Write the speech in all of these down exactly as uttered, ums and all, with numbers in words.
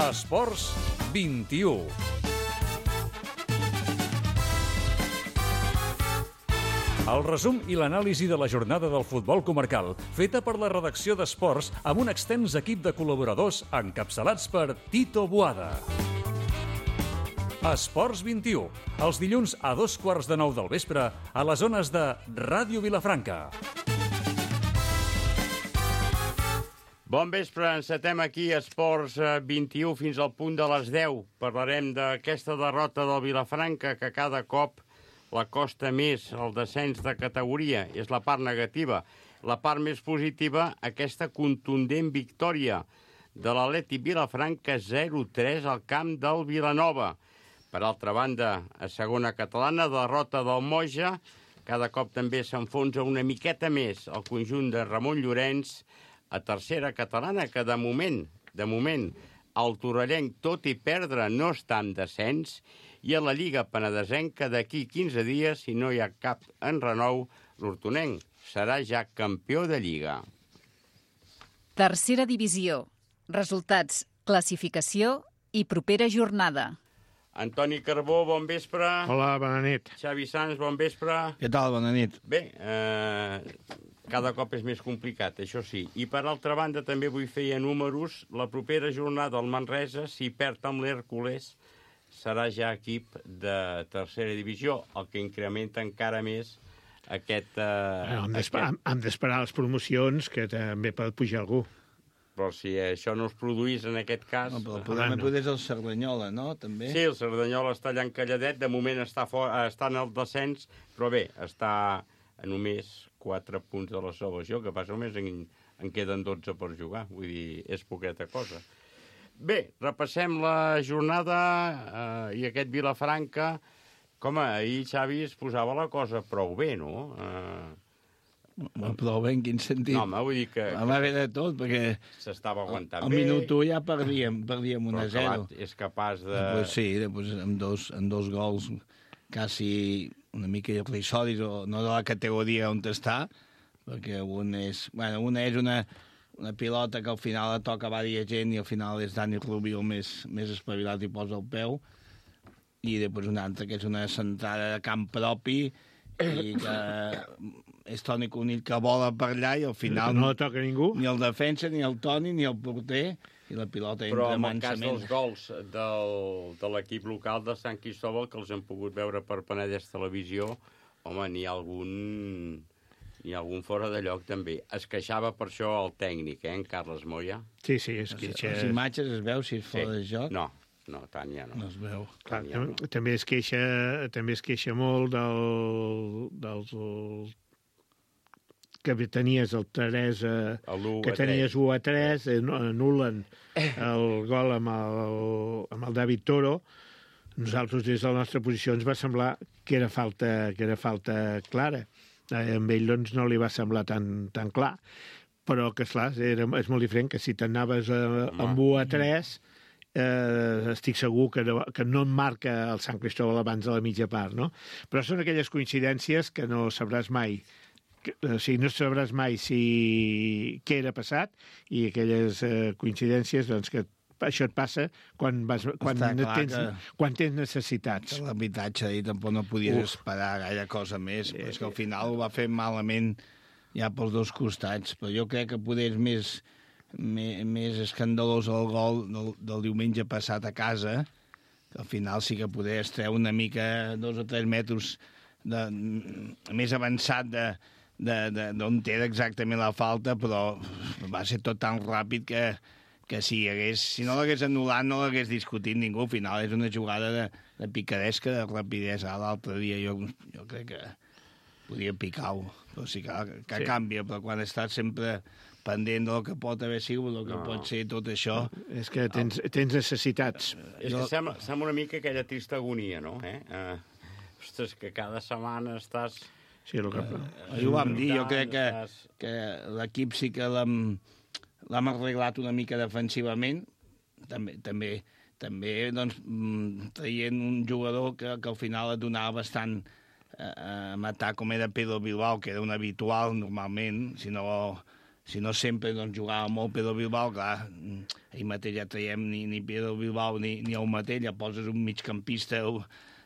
Esports vint-i-u. El resum i l'anàlisi de la jornada del futbol comarcal, feta per la redacció d'Esports amb un extens equip de col·laboradors encapçalats per Tito Boada. Esports vint-i-u, els dilluns a dos quarts de nou del vespre a les zones de Ràdio Vilafranca. Bon vespre, encetem aquí Esports vint-i-u fins al punt de les deu. Parlarem d'aquesta derrota del Vilafranca que cada cop la costa més el descens de categoria. És la part negativa. La part més positiva, aquesta contundent victòria de l'Atlètic Vilafranca zero tres al camp del Vilanova. Per altra banda, a segona catalana, derrota del Moja. Cada cop també s'enfonsa una miqueta més el conjunt de Ramon Llorenç. A tercera catalana, que de moment, de moment, el torrellenc, tot i perdre, no està en descens. I a la Lliga Penedesenca, d'aquí quinze dies, si no hi ha cap enrenou, l'hortonenc serà ja campió de Lliga. Tercera divisió. Resultats, classificació i propera jornada. Antoni Carbó, bon vespre. Hola, bona nit. Xavi Sans, bon vespre. Què tal, bona nit? Bé, eh, cada cop és més complicat, això sí. I per altra banda també vull fer ja números. La propera jornada al Manresa, si perd amb l'Hèrcules, serà ja equip de tercera divisió, el que incrementa encara més aquest... Eh, hem d'esperar aquest... d'esperar les promocions, que també pot pujar algú. Però si això no es produís en aquest cas... No, però el problema no. És el Cerdanyola, no? També. Sí, el Cerdanyola està allà encalladet, de moment està, for... està en el descens, però bé, està a només quatre punts de la salvació, que passa només en, en queden dotze per jugar, vull dir, és poqueta cosa. Bé, repassem la jornada eh, i aquest Vilafranca. Com ahir, Xavi, es posava la cosa prou bé, no? Eh... Prou bé en quin sentit? No, home, vull dir que... Vam haver de tot, perquè... S'estava aguantant al bé. Al minut u ja perdíem, perdíem un a zero. Però és capaç de... Pues sí, després amb dos, amb dos gols quasi una mica irrisodis, o no de la categoria on està, perquè un és... Bueno, una és una... una pilota que al final la toca vària gent i al final és Dani Rubio més, més espavilat i posa el peu, i després una altra que és una centrada de camp propi i que és Toni Conill que vola per allà i al final no la toca ningú, ni el defensa, ni el Toni, ni el porter, i la pilota però entra mansament. Però en el cas dels gols del, de l'equip local de Sant Cristóbal, que els hem pogut veure per Penedès Televisió, home, n'hi ha algun... Hi ha algun fora de lloc, també. Es queixava per això el tècnic, eh, en Carles Moya. Sí, sí, es queixa... Les imatges es veu si és fora sí. de joc? No, no, tant ja no. No es veu. Clar, ja no. També es queixa, també es queixa molt del, dels... El, que tenies el Teresa, el que tenies u a tres, anulen el gol amb el, amb el David Toro. Nosaltres, des de la nostra posició, ens va semblar que era falta, que era falta clara. Amb ell doncs, no li va semblar tan, tan clar, però que esclar, era, és molt diferent que si t'anaves amb u a tres, eh, estic segur que no, que no et marca el Sant Cristóbal abans de la mitja part, no? Però són aquelles coincidències que no sabràs mai, que, o sigui, no sabràs mai si què era passat, i aquelles eh, coincidències doncs, que això et passa quan, vas, quan, tens, que, quan tens necessitats. L'arbitratge ahir tampoc no podies Uf. esperar gaire cosa més, però és que al final ho va fer malament ja pels dos costats. Però jo crec que poder és més, més, més escandalós el gol del, del diumenge passat a casa, que al final sí que poder estreure una mica dos o tres metres de, més avançat de, de, de, d'on té exactament la falta, però va ser tot tan ràpid que que si, hagués, si no l'hagués anul·lat no l'hagués discutit ningú. Al final és una jugada de, de picadesca, de rapidesa. L'altre dia jo, jo crec que podia picar-ho, però sí que, que sí. canvia, però quan estàs sempre pendent del que pot haver sigut, del que no. pot ser tot això... És que tens, tens necessitats. És que sembla, sembla una mica aquella trista agonia, no? Eh? Uh, ostres, que cada setmana estàs... Sí, el que... Uh, ho vam dir, jo crec que, que l'equip sí que l'hem... l'hem arreglat una mica defensivament, també, també, també doncs, traient un jugador que, que al final et donava bastant eh, a matar, com era Pedro Bilbao, que era un habitual normalment, si no, si no sempre doncs, jugava molt Pedro Bilbao, clar, ahir mateix ja traiem ni, ni Pedro Bilbao ni, ni el mateix, ja poses un migcampista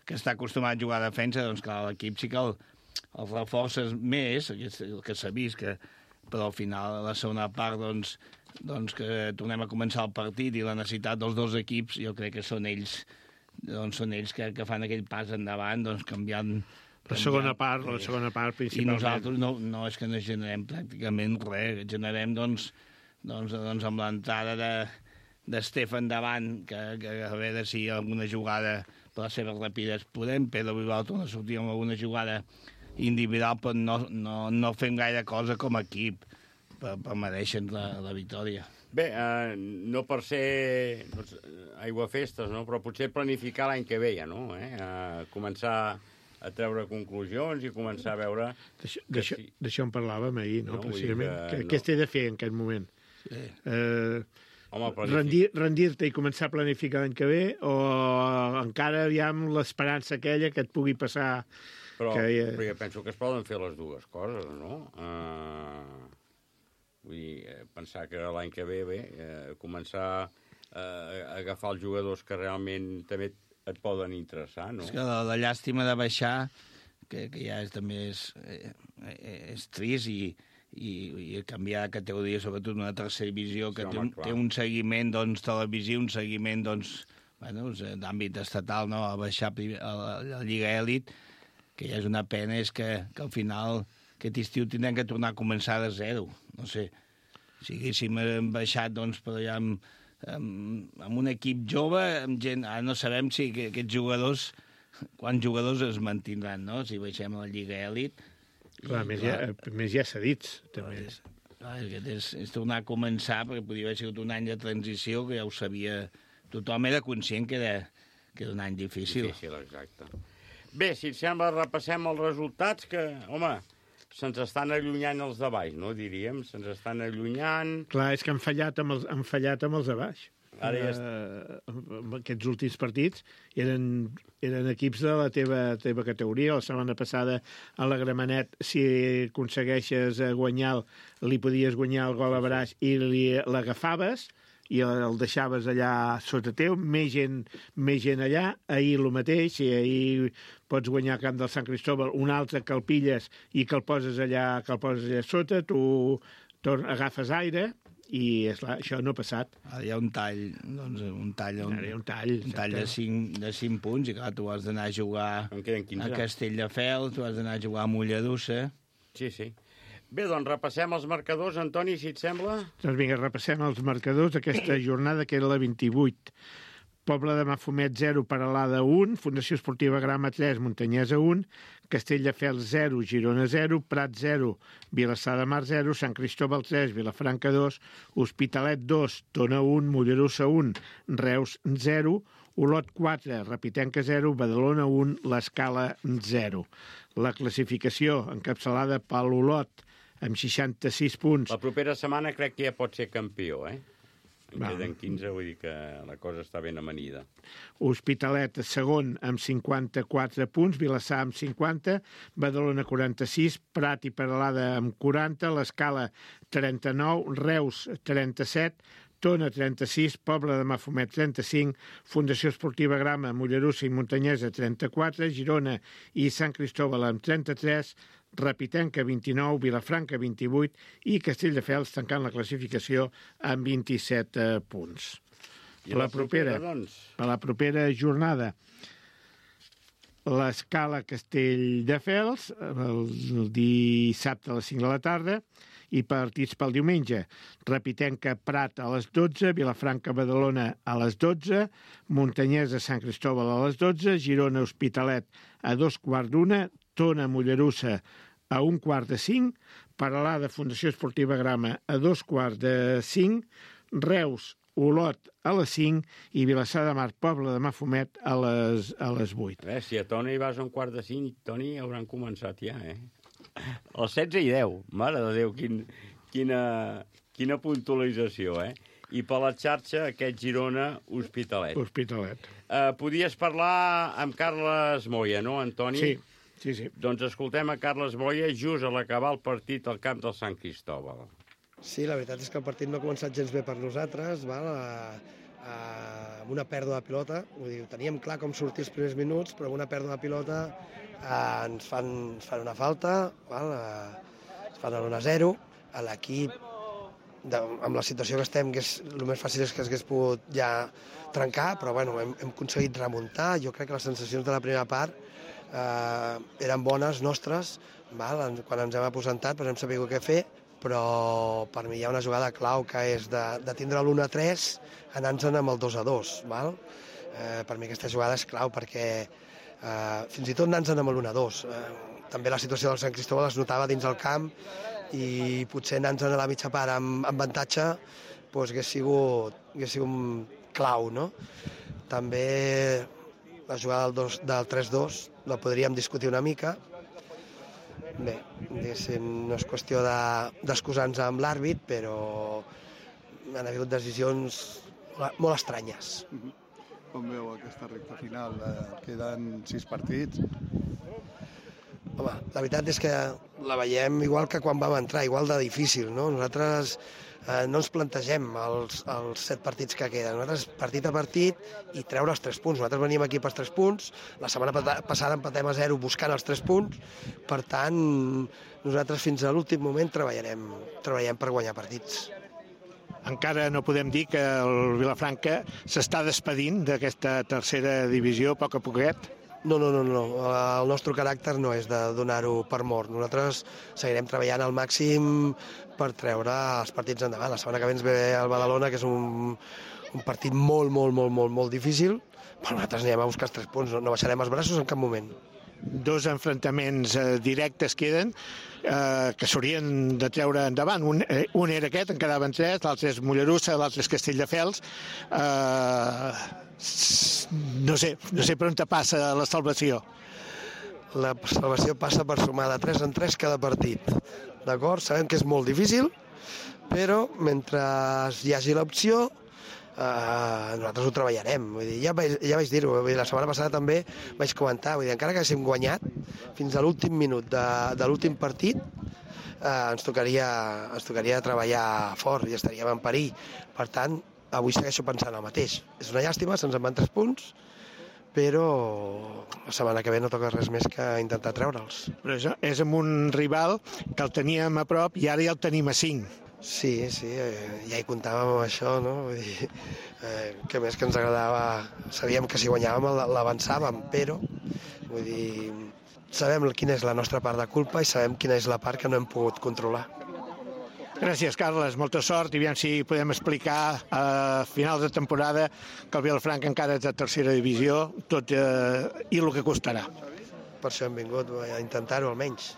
que està acostumat a jugar a defensa, doncs clar, l'equip sí que el, el reforces més, el que s'ha vist, que, però al final, a la segona part, doncs, doncs que tornem a començar el partit i la necessitat dels dos equips, jo crec que són ells, doncs són ells que, que fan aquell pas endavant, doncs canviant... La segona part, la segona part, principalment. I nosaltres no, no és que no generem pràcticament res, generem, doncs, doncs, doncs amb l'entrada de, de Stefan davant, que, que a veure si alguna jugada per les seves rapides podem, Pedro Bilbao torna a sortir amb alguna jugada individual, però no, no, no fem gaire cosa com a equip per, per mereixer la, la victòria. Bé, eh, no per ser doncs, aiguafestes, no? Però potser planificar l'any que ve ja, no? Eh? Eh, començar a treure conclusions i començar a veure... D'això si... en parlàvem ahir, no? no Precisament. Que, no. Què has de fer en aquest moment? Sí. Eh, Home, rendir, rendir-te i començar a planificar l'any que ve o encara aviam l'esperança aquella que et pugui passar... Però, que, eh... però jo penso que es poden fer les dues coses, no? Uh, vull dir, pensar que l'any que ve, bé, eh, començar a, a agafar els jugadors que realment també et poden interessar, no? És que la, la llàstima de baixar, que, que ja és, també és, eh, és trist, i, i, i canviar de categoria, sobretot una tercera divisió, que sí, té, un, té un seguiment doncs, televisiu, un seguiment doncs, bueno, d'àmbit estatal, no? A baixar a la, a la Lliga Elit, que ja és una pena, és que, que al final aquest estiu tindrem que tornar a començar de zero. No sé, si haguéssim baixat, doncs, per allà amb, amb, amb un equip jove, amb gent... Ara no sabem si aquests jugadors, quants jugadors es mantindran, no? Si baixem a la Lliga Elit. Clar, més, clar, ja, més ja cedits, també. És, clar, és, és tornar a començar, perquè podria haver sigut un any de transició, que ja ho sabia... Tothom era conscient que era, que era un any difícil. Difícil, exacte. Bé, si et sembla, repassem els resultats, que, home, se'ns estan allunyant els de baix, no, diríem? Se'ns estan allunyant... Clar, és que han fallat amb els, han fallat amb els de baix. Ara ja... Uh, aquests últims partits eren, eren equips de la teva, teva categoria. La setmana passada a la Gramenet, si aconsegueixes guanyar, li podies guanyar el gol a Braix i l'agafaves i el deixaves allà sota teu, més gent, més gent allà. Ahir el mateix, si ahir pots guanyar el camp del Sant Cristóbal, un altre que el pilles i que el poses allà, que el poses allà sota, tu torn, agafes aire, i esclar, això no ha passat. Ara hi ha un tall, doncs, un tall, un, Ara hi ha un tall, un tall de, cinc, de cinc punts, i clar, tu has d'anar a jugar a Castelldefels, tu has d'anar a jugar a Mollerussa. Sí, sí. Bé, doncs repassem els marcadors, Antoni, si et sembla. Doncs vinga, repassem els marcadors d'aquesta jornada, que era la vint-i-vuit. Poble de Mafumet, zero, Peralada, un, Fundació Esportiva Grama, tres, Muntanyesa, un, Castelldefels, zero, Girona, zero, Prat, zero, Vilassar de Mar, zero, Sant Cristóbal, tres, Vilafranca, dos, Hospitalet, dos, Tona, un, Mollerussa, un, Reus, zero, Olot, quatre, Repitenca, zero, Badalona, un, l'Escala, zero. La classificació encapçalada per l'Olot, amb seixanta-sis punts. La propera setmana crec que ja pot ser campió, eh? En queden quinze, vull dir que la cosa està ben amanida. Hospitalet, segon, amb cinquanta-quatre punts, Vilassar amb cinquanta, Badalona quaranta-sis, Prat i Peralada amb quaranta, l'Escala trenta-nou, Reus trenta-set, Tona trenta-sis, Poble de Mafumet trenta-cinc, Fundació Esportiva Grama, Mollerussa i Muntanyesa trenta-quatre, Girona i Sant Cristóbal amb trenta-tres, Repitenca vint-i-nou, Vilafranca vint-i-vuit i Castelldefels tancant la classificació amb vint-i-set eh, punts. I la, la propera, propera doncs? Per la propera jornada, l'Escala Castelldefels, el dissabte a les cinc de la tarda, i partits pel diumenge. Repitenca Prat a les dotze, Vilafranca Badalona a les dotze, Muntanyesa Sant Cristóbal a les dotze, Girona Hospitalet a dos quarts d'una, Tona Mollerussa a un quart de cinc, Peralada Fundació Esportiva Grama a dos quarts de cinc, Reus Olot a les cinc i Vilassar de Mar, Poble de Mafumet a les, a les vuit. A veure, si a Tona hi vas a un quart de cinc, Toni, hauran començat ja, eh? Els setze i deu, mare de Déu, quin, quina, quina puntualització, eh? I per la xarxa, aquest Girona Hospitalet. Hospitalet. Uh, podies parlar amb Carles Moya, no, Antoni? Sí. Sí, sí. Doncs escoltem a Carles Moya just a l'acabar el partit al camp del Sant Cristóbal. Sí, la veritat és que el partit no ha començat gens bé per nosaltres, val? A, a, amb una pèrdua de pilota, vull dir, teníem clar com sortir els primers minuts, però amb una pèrdua de pilota eh, ens, fan, ens fan una falta, val? Eh, ens fan l'un a zero, a l'equip, amb la situació que estem, que és, el més fàcil és que s'hagués pogut ja trencar, però bueno, hem, hem aconseguit remuntar. Jo crec que les sensacions de la primera part eh, eren bones nostres, val? Quan ens hem aposentat doncs hem sabut què fer, però per mi hi ha una jugada clau que és de, de tindre l'un a tres anant-se'n amb el dos a dos. Val? Eh, per mi aquesta jugada és clau perquè eh, fins i tot anant-se'n amb l'un a dos. Eh, també la situació del Sant Cristóbal es notava dins el camp i potser anant-se'n a la mitja part amb, amb avantatge doncs, hagués sigut, hagués sigut clau. No? També la jugada del, dos, del tres dos la podríem discutir una mica. Bé, no és qüestió d'excusar-nos de, amb l'àrbit, però han hagut decisions molt estranyes. Com veu aquesta recta final? Queden sis partits. Home, la veritat és que la veiem igual que quan vam entrar, igual de difícil, no? Nosaltres eh, no ens plantegem els, els set partits que queden. Nosaltres partit a partit i treure els tres punts. Nosaltres veníem aquí pels tres punts, la setmana passada empatem a zero buscant els tres punts, per tant, nosaltres fins a l'últim moment treballarem, treballarem per guanyar partits. Encara no podem dir que el Vilafranca s'està despedint d'aquesta tercera divisió a poc a poquet? No, no, no, no. El nostre caràcter no és de donar-ho per mort. Nosaltres seguirem treballant al màxim per treure els partits endavant. La setmana que ve ens ve el Badalona, que és un, un partit molt, molt, molt, molt, molt difícil, però nosaltres anirem a buscar els tres punts, no, no baixarem els braços en cap moment. Dos enfrontaments eh, directes queden eh, que s'haurien de treure endavant. Un, eh, un era aquest, en quedaven tres, l'altre és Mollerussa, l'altre és Castelldefels. Eh, no sé, no sé per on te passa la salvació. La salvació passa per sumar de tres en tres cada partit. D'acord? Sabem que és molt difícil, però mentre hi hagi l'opció, Uh, nosaltres ho treballarem. Vull dir, ja, vaig, ja vaig dir-ho, la setmana passada també vaig comentar, vull dir, encara que haguéssim guanyat fins a l'últim minut de, de l'últim partit, uh, ens, tocaria, ens tocaria treballar fort i estaríem en perill. Per tant, avui segueixo pensant el mateix. És una llàstima, se'ns en van tres punts, però la setmana que ve no toca res més que intentar treure'ls. Però és, és amb un rival que el teníem a prop i ara ja el tenim a cinc. Sí, sí, eh, ja hi comptàvem amb això, no? Vull dir, eh, que més que ens agradava, sabíem que si guanyàvem l'avançàvem, però vull dir, sabem quina és la nostra part de culpa i sabem quina és la part que no hem pogut controlar. Gràcies, Carles, molta sort i aviam si podem explicar a finals de temporada que el Vilafranca encara és de tercera divisió, tot eh, i el que costarà. Per això hem vingut a intentar-ho almenys.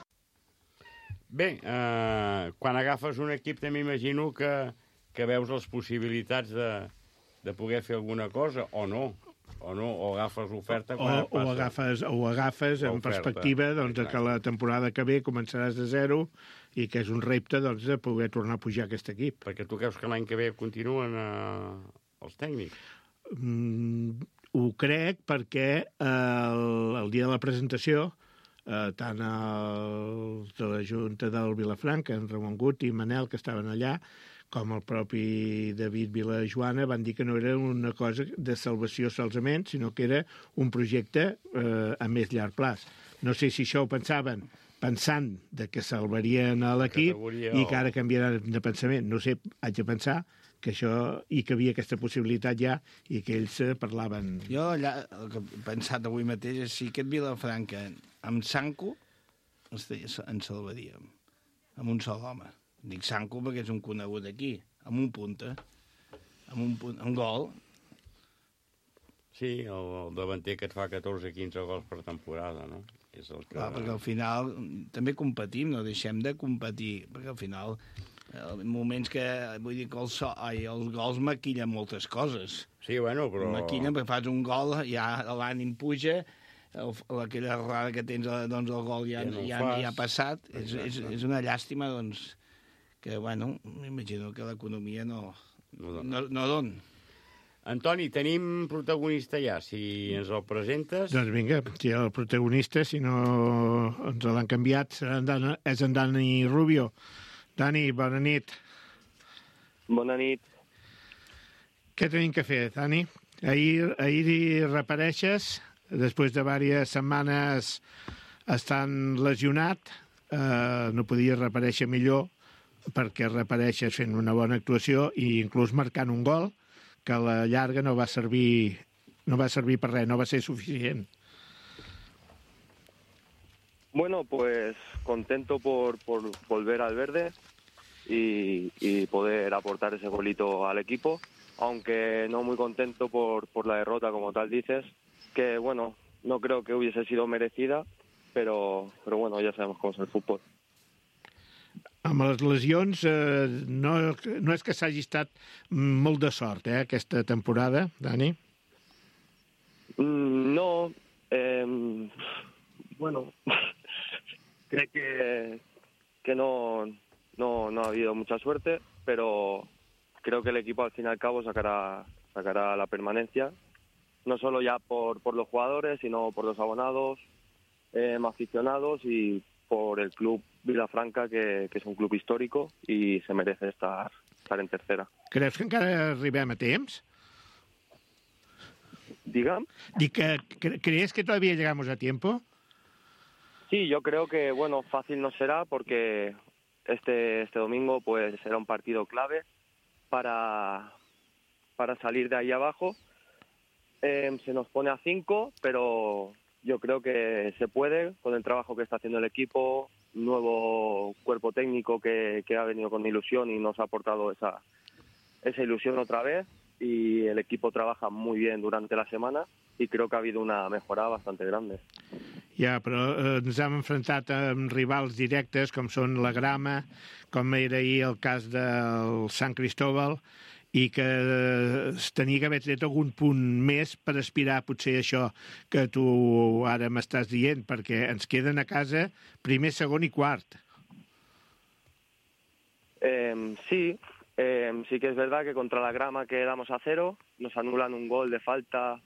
Bé, eh, quan agafes un equip també imagino que, que veus les possibilitats de, de poder fer alguna cosa, o no, o no, o agafes l'oferta quan o, o agafes, o agafes en perspectiva doncs, de que la temporada que ve començaràs de zero i que és un repte doncs, de poder tornar a pujar aquest equip. Perquè tu creus que l'any que ve continuen eh, els tècnics? Mm, ho crec perquè eh, el, el dia de la presentació Uh, tant els de la Junta del Vilafranca, en Ramon Gut i Manel, que estaven allà, com el propi David Vilajoana, van dir que no era una cosa de salvació solament, sinó que era un projecte uh, a més llarg plaç. No sé si això ho pensaven pensant de que salvarien a l'equip i que ara canviaran de pensament. No sé, haig de pensar que això, i que havia aquesta possibilitat ja, i que ells parlaven... Jo allà, el que he pensat avui mateix és si aquest Vilafranca amb Sanco en salvaríem, amb un sol home. Dic Sanco perquè és un conegut aquí, amb un punta, amb un, punt, un gol. Sí, el, el davanter que et fa catorze quinze gols per temporada, no? És el que... Clar, perquè al final també competim, no deixem de competir, perquè al final... En moments que, vull dir que el so, ai, els gols maquillen moltes coses. Sí, bueno, però... Maquillen, perquè fas un gol, ja l'ànim puja, el, aquella errada que tens, doncs el gol ja, ja, no ja, ja ha passat. És, és, és una llàstima, doncs, que, bueno, m'imagino que l'economia no, no, no, no dona. Antoni, tenim protagonista ja, si ens el presentes... Doncs vinga, si el protagonista, si no ens l'han canviat, serà en Dani, és en Dani Rubio. Dani, bona nit. Bona nit. Què tenim que fer, Dani? Ahir, ahir hi repareixes, després de diverses setmanes estant lesionat, eh, no podies reparèixer millor perquè repareixes fent una bona actuació i inclús marcant un gol que a la llarga no va servir, no va servir per res, no va ser suficient. Bueno, pues contento por, por volver al verde y, y poder aportar ese golito al equipo, aunque no muy contento por, por la derrota, como tal dices, que bueno, no creo que hubiese sido merecida, pero, pero bueno, ya sabemos cómo es el fútbol. Amb les lesions, eh, no, no és que s'hagi estat molt de sort, eh, aquesta temporada, Dani? Mm, no, eh, bueno, creo que, que no, no, no ha habido mucha suerte, pero creo que el equipo al fin y al cabo sacará, sacará la permanencia, no solo ya por, por los jugadores, sino por los abonados, eh, aficionados y por el club Vilafranca, que, que és un club històrico i se merece estar, estar en tercera. Creus que encara arribem a temps? ¿Digan? Dic que, ¿crees que todavía llegamos a tiempo? Sí, yo creo que, bueno, fácil no será porque este, este domingo pues será un partido clave para, para salir de ahí abajo. Eh, se nos pone a cinco, pero yo creo que se puede con el trabajo que está haciendo el equipo, un nuevo cuerpo técnico que, que ha venido con ilusión y nos ha aportado esa, esa ilusión otra vez, y el equipo trabaja muy bien durante la semana y creo que ha habido una mejora bastante grande. Ja, però eh, ens hem enfrontat amb rivals directes com són la Grama, com era ahir el cas del Sant Cristóbal, i que es tenia que haver tret algun punt més per aspirar potser això que tu ara m'estàs dient, perquè ens queden a casa primer, segon i quart. Eh, sí, eh, sí que es verdad que contra la Grama quedamos a cero, nos anulan un gol de falta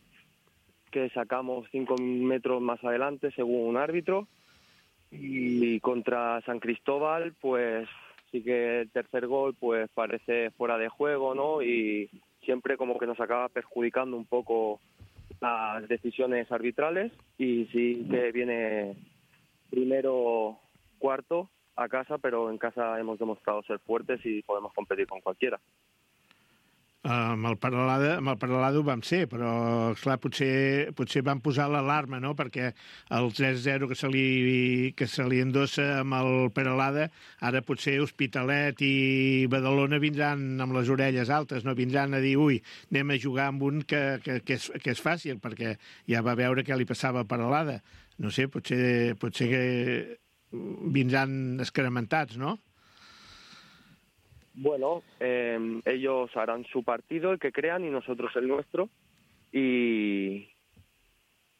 que sacamos cinco metros más adelante según un árbitro, y contra San Cristóbal pues sí que el tercer gol pues parece fuera de juego, ¿no? Y siempre como que nos acaba perjudicando un poco las decisiones arbitrales, y sí que viene primero, cuarto a casa, pero en casa hemos demostrado ser fuertes y podemos competir con cualquiera. Amb el Peralada, amb el Peralada ho vam ser, però esclar, potser, potser van posar l'alarma, no? Perquè el tres zero que se li, que se li endossa amb el Peralada, ara potser Hospitalet i Badalona vindran amb les orelles altes, no? Vindran a dir, ui, anem a jugar amb un que, que, que, és, que és fàcil, perquè ja va veure què li passava a Peralada. No sé, potser, potser que vindran escaramentats, no? Bueno, eh, ellos harán su partido, el que crean, y nosotros el nuestro, y,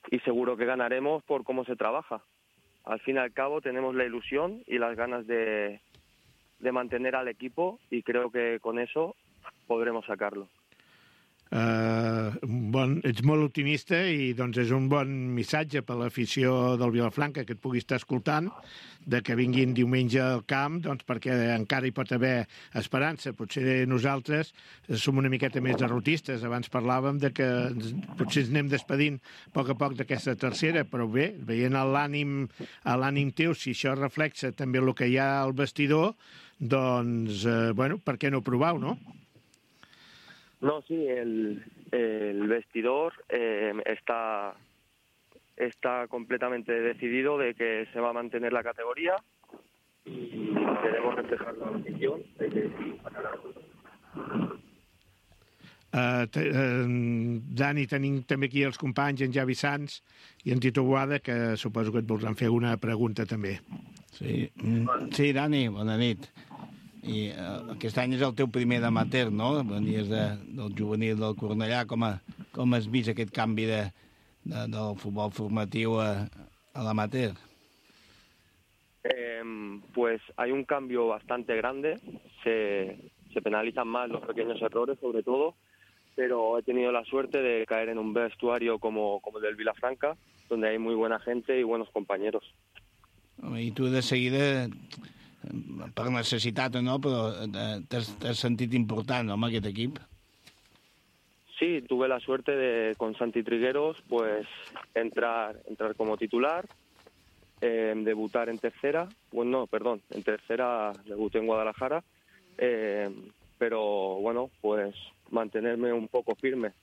y seguro que ganaremos por cómo se trabaja. Al fin y al cabo tenemos la ilusión y las ganas de, de mantener al equipo, y creo que con eso podremos sacarlo. Uh, bon, ets molt optimista i doncs és un bon missatge per l'afició del Vilafranca que et pugui estar escoltant, de que vinguin diumenge al camp, doncs perquè encara hi pot haver esperança. Potser nosaltres som una miqueta més derrotistes. Abans parlàvem de que potser ens anem despedint a poc a poc d'aquesta tercera, però bé, veient l'ànim a l'ànim teu, si això reflexa també el que hi ha al vestidor, doncs, eh, bueno, per què no provar-ho, no? No, sí, el, el vestidor eh, está, está completamente decidido de que se va a mantener la categoría, y queremos reflejar la afición de que Uh, uh, Dani, tenim també aquí els companys, en Javi Sanz i en Tito Boada, que suposo que et voldran fer una pregunta també. Sí, sí, Dani, bona nit. I uh, aquest any és el teu primer d'amateur, no? Venies de, del juvenil del Cornellà. Com, a, com has vist aquest canvi de, de, del futbol formatiu a, a l'amateur? Eh, pues hay un cambio bastante grande. Se, se penalizan más los pequeños errores, sobre todo, pero he tenido la suerte de caer en un vestuario como, como el del Vilafranca, donde hay muy buena gente y buenos compañeros. I tu de seguida per necessitat o no, però t'has sentit important, no, amb aquest equip? Sí, tuve la suerte de, con Santi Trigueros, pues entrar, entrar como titular, eh, debutar en tercera, bueno, no, perdón, en tercera debuté en Guadalajara, eh, pero bueno, pues mantenerme un poco firme.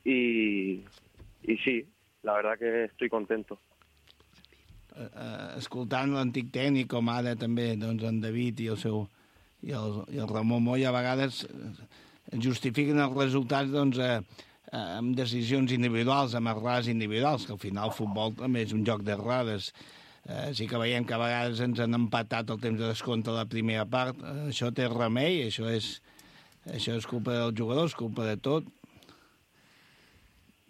Y, y sí, la verdad que estoy contento. Uh, escoltant l'antic tècnic, com ara també doncs, en David i el seu i el, i el Ramon Moll, a vegades justifiquen els resultats doncs, eh, eh, amb decisions individuals, amb errades individuals, que al final el futbol també és un joc d'errades. Eh, sí que veiem que a vegades ens han empatat el temps de descompte a la primera part. Eh, això té remei, això és, això és culpa dels jugadors, culpa de tot.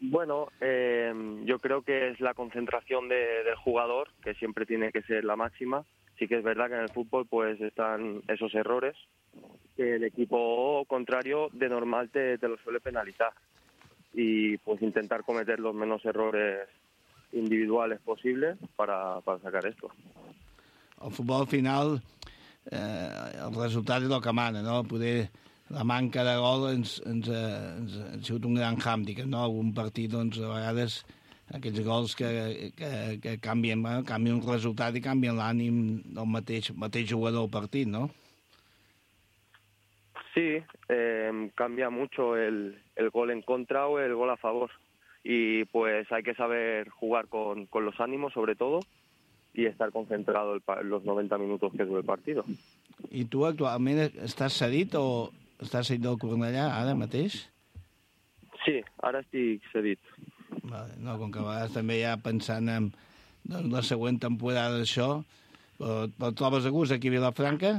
Bueno, eh, yo creo que es la concentración de, del jugador, que siempre tiene que ser la máxima. Sí que es verdad que en el fútbol pues están esos errores que el equipo contrario de normal te, te lo suele penalizar. Y pues intentar cometer los menos errores individuales posibles para, para sacar esto. El futbol al final, eh, el resultat és el que mana, no? Poder la manca de gol ens, ens, ens, ens ha sigut un gran hàndicap, no? Algun partit, doncs, a vegades aquests gols que, que, que canvien, bueno, canvien el resultat i canvien l'ànim del mateix, mateix jugador al partit, no? Sí, eh, cambia mucho el, el gol en contra o el gol a favor. Y pues hay que saber jugar con, con los ánimos, sobre todo, y estar concentrado el, los noventa minutos que dura el partido. I tu actualment estàs cedit o estàs cedit del Cornellà ara mateix? Sí, ara estic cedit. Vale, no, com que a vegades també ja pensant en doncs, la següent temporada d'això, però, però trobes a gust aquí a Vilafranca?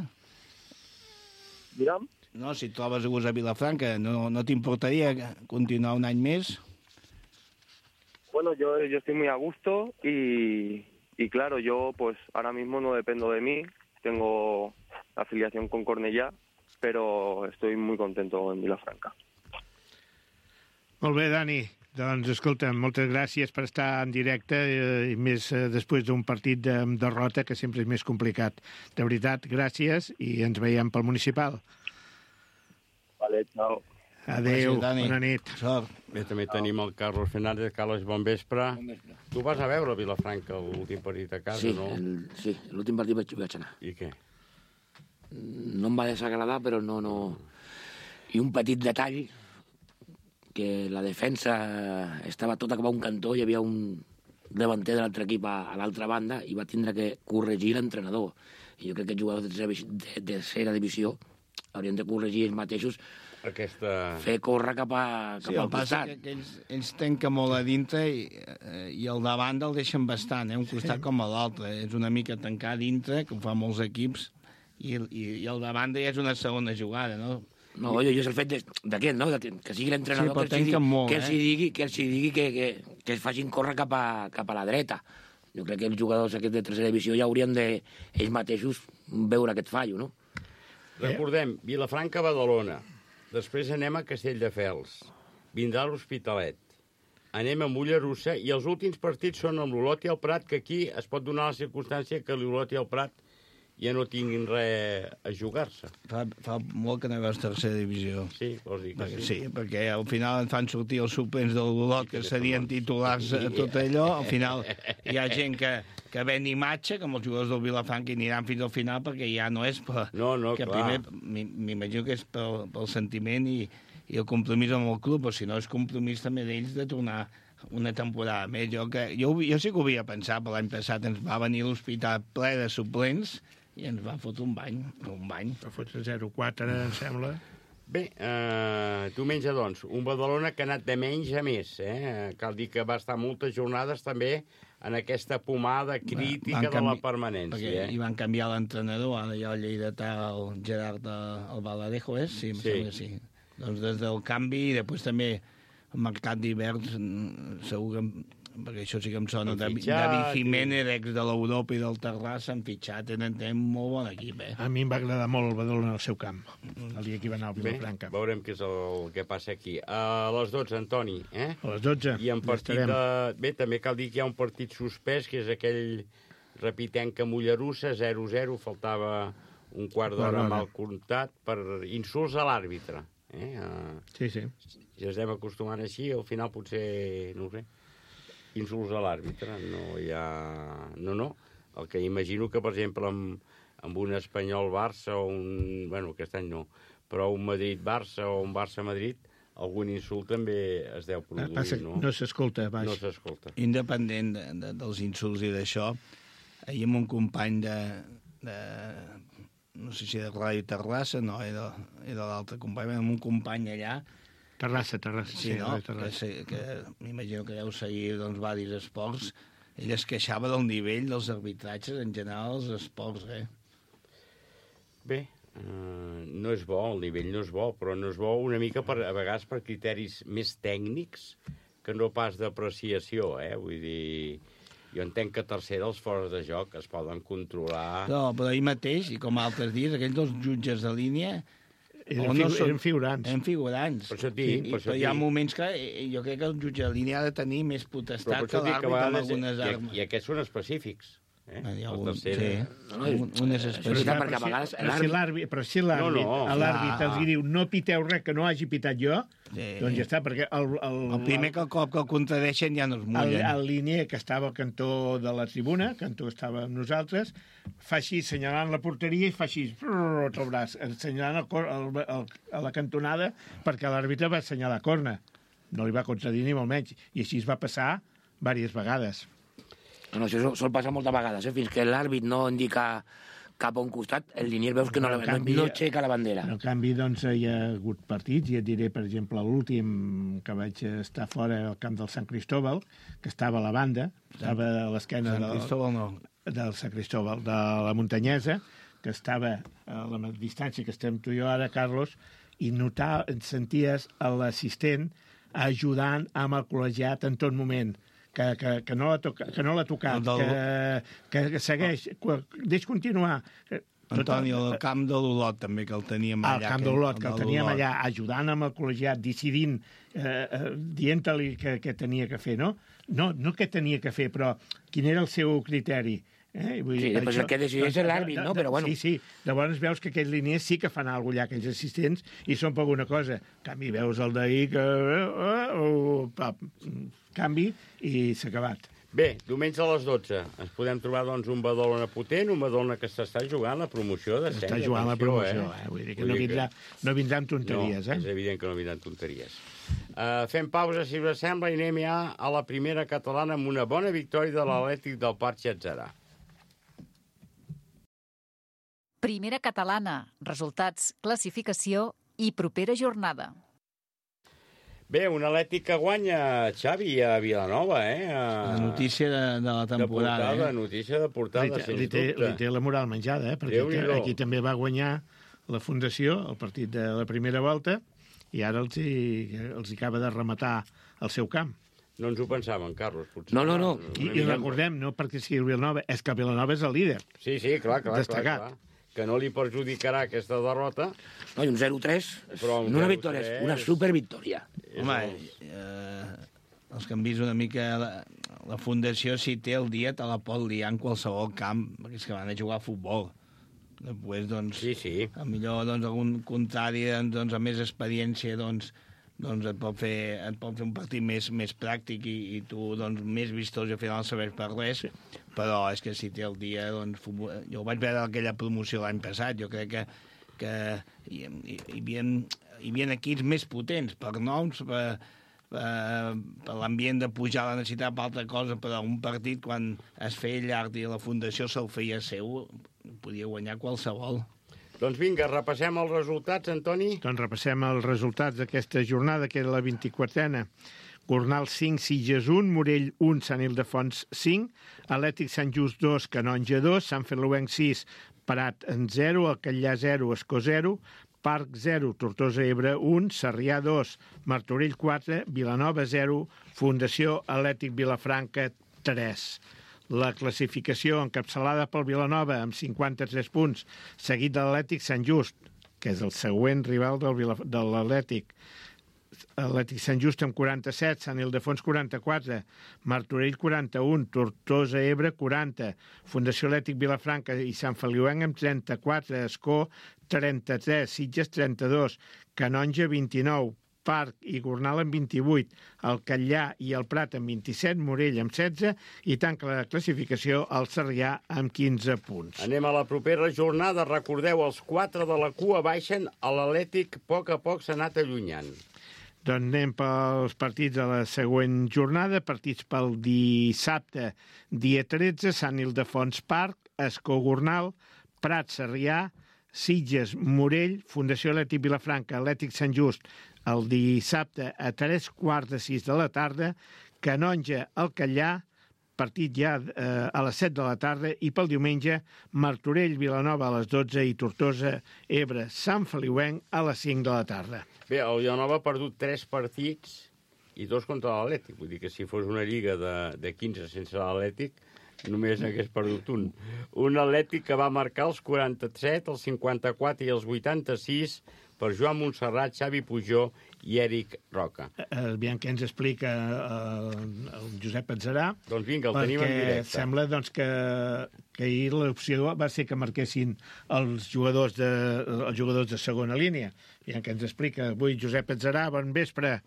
Diram? No, si trobes a gust a Vilafranca, no, no t'importaria continuar un any més? Bueno, yo, yo estoy muy a gusto y, y claro, yo pues ahora mismo no dependo de mí, tengo afiliación con Cornellà, pero estoy muy contento en Vilafranca. Molt bé, Dani. Doncs, escolta, moltes gràcies per estar en directe eh, i més eh, després d'un partit de derrota que sempre és més complicat. De veritat, gràcies i ens veiem pel municipal. Vale, chao. Adéu, gràcies, bona nit. Sort. Bé, també tenim el Carlos Fernández. Carlos, bon vespre. Bon vespre. Tu vas a veure Vilafranca l'últim partit a casa, sí, no? El, sí, l'últim partit vaig, vaig anar. I què? No em va desagradar, però no, no... I un petit detall, que la defensa estava tota cap a un cantó, hi havia un davanter de l'altre equip a, a l'altra banda i va tindre que corregir l'entrenador. I jo crec que els jugadors de tercera, de, de tercera divisió haurien de corregir ells mateixos, aquesta... fer córrer cap, a, cap Sí, al costat. Que, que ells, ells tanquen molt a dintre i, i el davant el deixen bastant, eh? Un costat sí. Com a l'altre. És una mica tancar a dintre, que ho fan molts equips, i, i, i el davant ja és una segona jugada, no? No, jo, jo és el fet d'aquest, no? De, que sigui l'entrenador sí, que, els digui, molt, que, els eh? digui, que els digui que, que, que es facin córrer cap a, cap a la dreta. Jo crec que els jugadors aquests de tercera divisió ja haurien de ells mateixos veure aquest fallo, no? Recordem, Vilafranca-Badalona. Després anem a Castelldefels. Vindrà l'Hospitalet. Anem a Mollerussa i els últims partits són amb l'Olot i el Prat, que aquí es pot donar la circumstància que l'Olot i el Prat ja no tinguin res a jugar-se. Fa, fa molt que no veus tercera divisió. Sí, vols dir que perquè, sí. Sí, perquè al final en fan sortir els suplents del Olot, que serien titulars a tot allò. Al final hi ha gent que, que ven imatge, com els jugadors del Vilafranca, i aniran fins al final, perquè ja no és per... No, no, que clar. Primer, m'imagino que és pel, pel sentiment i, i el compromís amb el club, o si no és compromís també d'ells de tornar una temporada més. Jo, que, jo, jo sí que ho havia pensat, però l'any passat ens va venir l'hospital ple de suplents i ens va fotre un bany, un bany. Va fotre zero quatre, em sembla. Bé, eh, diumenge, doncs, un Badalona que ha anat de menys a més. Eh? Cal dir que va estar moltes jornades també en aquesta pomada crítica de la permanència. Perquè eh? hi van canviar l'entrenador, ara hi ha el lleidatà, el Gerard el Baladejo, és? Sí, em Sí. sembla que sí. Doncs des del canvi i després també el mercat d'hiverns, segur que perquè això sí que em sona, Han David, fitxat, David Jiménez, ex de l'Europa i del Terrassa, han fitxat, tenen, tenen molt bon equip, eh? A mi em va agradar molt el Badalona al seu camp, el dia que hi va anar al Bé, Vilafranca. veurem què és el que passa aquí. A les dotze, Antoni, eh? A les dotze. I en partit de... Bé, també cal dir que hi ha un partit suspès, que és aquell Repitenca Mollerussa, zero a zero, faltava un quart d'hora mal comptat per insults a l'àrbitre. Eh? Uh, sí, sí. Si ens anem acostumant així, al final potser, no ho sé, insults a l'àrbitre. No hi ha... No, no. El que imagino que, per exemple, amb, amb un Espanyol-Barça o un... Bueno, aquest any no, però un Madrid-Barça o un Barça-Madrid, algun insult també es deu produir, Passa, no? No s'escolta, baix. No s'escolta. Independent de, de, dels insults i d'això, ahir amb un company de... de no sé si de Ràdio Terrassa, no, era, era l'altre company, amb un company allà... Terrassa, Terrassa, sí, sí, no? Terrassa. Que, que m'imagino que deu seguir, doncs, varis esports. Ell es queixava del nivell dels arbitratges en general als esports, eh? Bé, uh, no és bo, el nivell no és bo, però no és bo una mica, per, a vegades, per criteris més tècnics que no pas d'apreciació, eh? Vull dir... Jo entenc que tercera els fores de joc es poden controlar... No, però ahir mateix, i com altres dies, aquells dos jutges de línia... Eren, figu són... eren figurants. Eren figurants. Per això dic, sí, per això hi ha dic. moments que jo crec que el jutge de línia ha de tenir més potestat que l'àrbitre amb algunes armes. I, I aquests són específics. Eh? Hi ha el un, tercer... sí, un, unes especials. Perquè a vegades... Però si l'àrbit, però si l'àrbit, no, no, l'àrbit els diu no piteu res que no hagi pitat jo, sí. Doncs ja està, perquè el... El, el primer que el cop que el contradeixen ja no es mullen. El, el linier que estava al cantó de la tribuna, el cantó estava amb nosaltres, fa així, assenyalant la porteria i fa així, el braç, assenyalant el, el, el, a la cantonada perquè l'àrbitre va assenyalar corna. No li va contradir ni molt menys. I així es va passar diverses vegades. No, això sol passar moltes vegades, eh? Fins que l'àrbit no indica cap a un costat, el linier veus que no, no, canvi, no aixeca la bandera. En canvi, doncs, hi ha hagut partits, i et diré, per exemple, l'últim que vaig estar fora al camp del Sant Cristóbal, que estava a la banda, estava a l'esquena del, Cristóbal, no. del Sant Cristóbal, de la Muntanyesa, que estava a la distància que estem tu i jo ara, Carlos, i notar, senties l'assistent ajudant amb el col·legiat en tot moment, que, que, que no l'ha toca, tocat, del... que, que segueix, deix continuar. Antoni, el camp de l'Olot també, que el teníem allà. El camp de l'Olot, que el teníem allà, ajudant amb el col·legiat, decidint, eh, eh, dient-li que, que tenia que fer, no? No, no que tenia que fer, però quin era el seu criteri. Eh? Vull dir, sí, després això, el que decideix és l'àrbit, no? Però bueno. Sí, sí. Llavors veus que aquells línies sí que fan alguna cosa allà, aquells assistents, i són per alguna cosa. En canvi, veus el d'ahir que... Uh, uh, uh, canvi i s'ha acabat. Bé, diumenge a les dotze ens podem trobar doncs, un Badalona potent, un Badalona que s'està jugant la promoció de S'està jugant la promoció, eh? eh? Vull dir que Vull no vindrà, que... no vindrà amb tonteries, no, eh? És evident que no vindran tonteries. Uh, fem pausa, si us sembla, i anem ja a la primera catalana amb una bona victòria de l'Atlètic del Parc Xatzarà. Primera catalana, resultats, classificació i propera jornada. Bé, un Atlètic que guanya, Xavi, a Vilanova, eh? A... La notícia de, de la temporada, de portada, eh? Notícia de portada, li, sens li té, dubte. Li té la moral menjada, eh? Perquè té, aquí també va guanyar la Fundació, el partit de la primera volta, i ara els hi, els hi acaba de rematar el seu camp. No ens ho pensàvem, Carlos, potser. No, no, no. I, i recordem, no perquè sigui el Vilanova, és que el Vilanova és el líder. Sí, sí, clar, clar, destacat. clar, clar. Que no li perjudicarà aquesta derrota. No, i un zero tres, no una victòria, és una supervictòria. Home, eh, els que han vist una mica la, la Fundació, si té el dia, te la pot liar en qualsevol camp, perquè és que van a jugar a futbol. Després, doncs, sí, sí. Millor doncs, algun contrari, doncs, amb més experiència, doncs, doncs et pot fer, et pot fer un partit més, més pràctic i, i tu doncs, més vistós i al final no sabés per res, però és que si té el dia, doncs, futbol... jo vaig veure aquella promoció l'any passat, jo crec que, que hi, hi, hi, havia, hi havia equips més potents per noms, per, per, per l'ambient de pujar la necessitat per altra cosa, però un partit quan es feia llarg i la Fundació se'l feia seu, podia guanyar qualsevol. Doncs vinga, repassem els resultats, Antoni. Doncs repassem els resultats d'aquesta jornada, que era la vint-i-quatrena. Gornal cinc, Sitges un, Morell un, Sant Ildefons cinc, Atlètic Sant Just dos, Canonja dos, Sant Feliuenc sis, Prat en zero, Alcallà zero, Escó zero, Parc zero, Tortosa Ebre un, Sarrià dos, Martorell quatre, Vilanova zero, Fundació Atlètic Vilafranca tres. La classificació encapçalada pel Vilanova amb cinquanta-tres punts, seguit de l'Atlètic Sant Just, que és el següent rival del, de l'Atlètic. Atlètic Sant Just amb quaranta-set, Sant Ildefons quaranta-quatre, Martorell quaranta-un, Tortosa Ebre quaranta, Fundació Atlètic Vilafranca i Sant Feliuenc amb trenta-quatre, Escó trenta-tres, Sitges trenta-dos, Canonja vint-i-nou, Parc i Gornal amb vint-i-vuit, el Catllà i el Prat amb vint-i-set, Morell amb setze i tanca la classificació el Sarrià amb quinze punts. Anem a la propera jornada. Recordeu, els quatre de la cua baixen, a l'Atlètic a poc a poc s'ha anat allunyant. Doncs anem pels partits de la següent jornada. Partits pel dissabte, dia tretze, Sant Ildefons Parc, Escó Gornal, Prat Sarrià, Sitges Morell, Fundació Atlètic Vilafranca, Atlètic Sant Just, el dissabte a tres quarts de sis de la tarda, Canonja al Catllà, partit ja eh, a les set de la tarda, i pel diumenge Martorell Vilanova a les dotze i Tortosa Ebre Sant Feliuenc a les cinc de la tarda. Bé, el Vilanova ha perdut tres partits i dos contra l'Atlètic. Vull dir que si fos una lliga de, de quinze sense l'Atlètic, només n'hagués perdut un. Un Atlètic que va marcar els quaranta-set, els cinquanta-quatre i els vuitanta-sis per Joan Montserrat, Xavi Pujó i Èric Roca. Aviam què ens explica eh, el Josep Atzarà. Doncs vinga, el tenim en directe. Perquè sembla doncs, que, que ahir l'opció va ser que marquessin els jugadors de, els jugadors de segona línia. Aviam què ens explica avui Josep Atzarà. Bon vespre.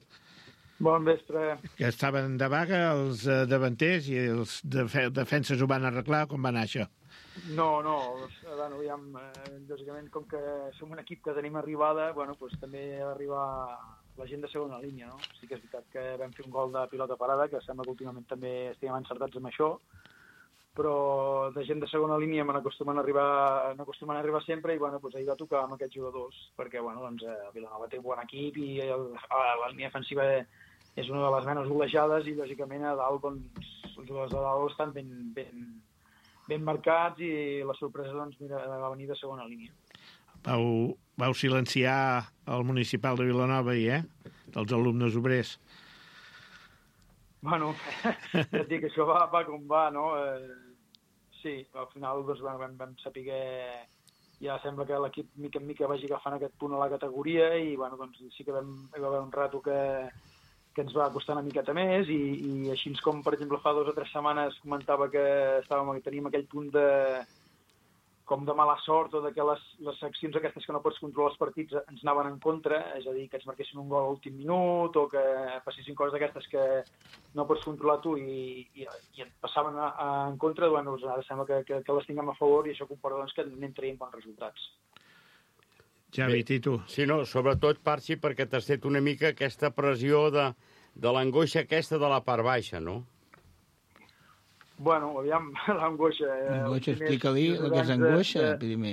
Bon vespre. Que estaven de vaga els eh, davanters i els def defenses ho van arreglar. Com va anar això? No, no, bueno, aviam, eh, lògicament, com que som un equip que tenim arribada, bueno, doncs també ha d'arribar la gent de segona línia, no? Sí que és veritat que vam fer un gol de pilota parada, que sembla que últimament també estiguem encertats amb això, però de gent de segona línia me n'acostumen a arribar, n'acostumen a arribar sempre, i bueno, doncs ahir va tocar amb aquests jugadors, perquè bueno, doncs, eh, Vilanova té un bon equip i el, la línia defensiva és una de les menys golejades i lògicament a dalt doncs, els jugadors de dalt estan ben, ben, ben marcats i la sorpresa doncs, mira, va venir de segona línia. Vau, vau silenciar el municipal de Vilanova ahir, eh? Dels alumnes obrers. Bueno, ja et dic, això va, va com va, no? Eh, sí, al final doncs, bueno, vam, vam saber que ja sembla que l'equip mica en mica vagi agafant aquest punt a la categoria i bueno, doncs, sí que vam, hi va haver un rato que que ens va costar una miqueta més i, i així com, per exemple, fa dues o tres setmanes comentava que estàvem, teníem aquell punt de, com de mala sort o de que les, les accions aquestes que no pots controlar els partits ens anaven en contra, és a dir, que ens marquessin un gol a l'últim minut o que passessin coses d'aquestes que no pots controlar tu i, i, i et passaven a, a, en contra, bueno, doncs ara sembla que, que, que les tinguem a favor i això comporta doncs, que anem traient bons resultats. Javi, i tu? Sí, no, sobretot, Parxi, perquè t'has fet una mica aquesta pressió de, de l'angoixa aquesta de la part baixa, no? Bueno, aviam, l'angoixa... L'angoixa, explica-li el que és angoixa, de, primer.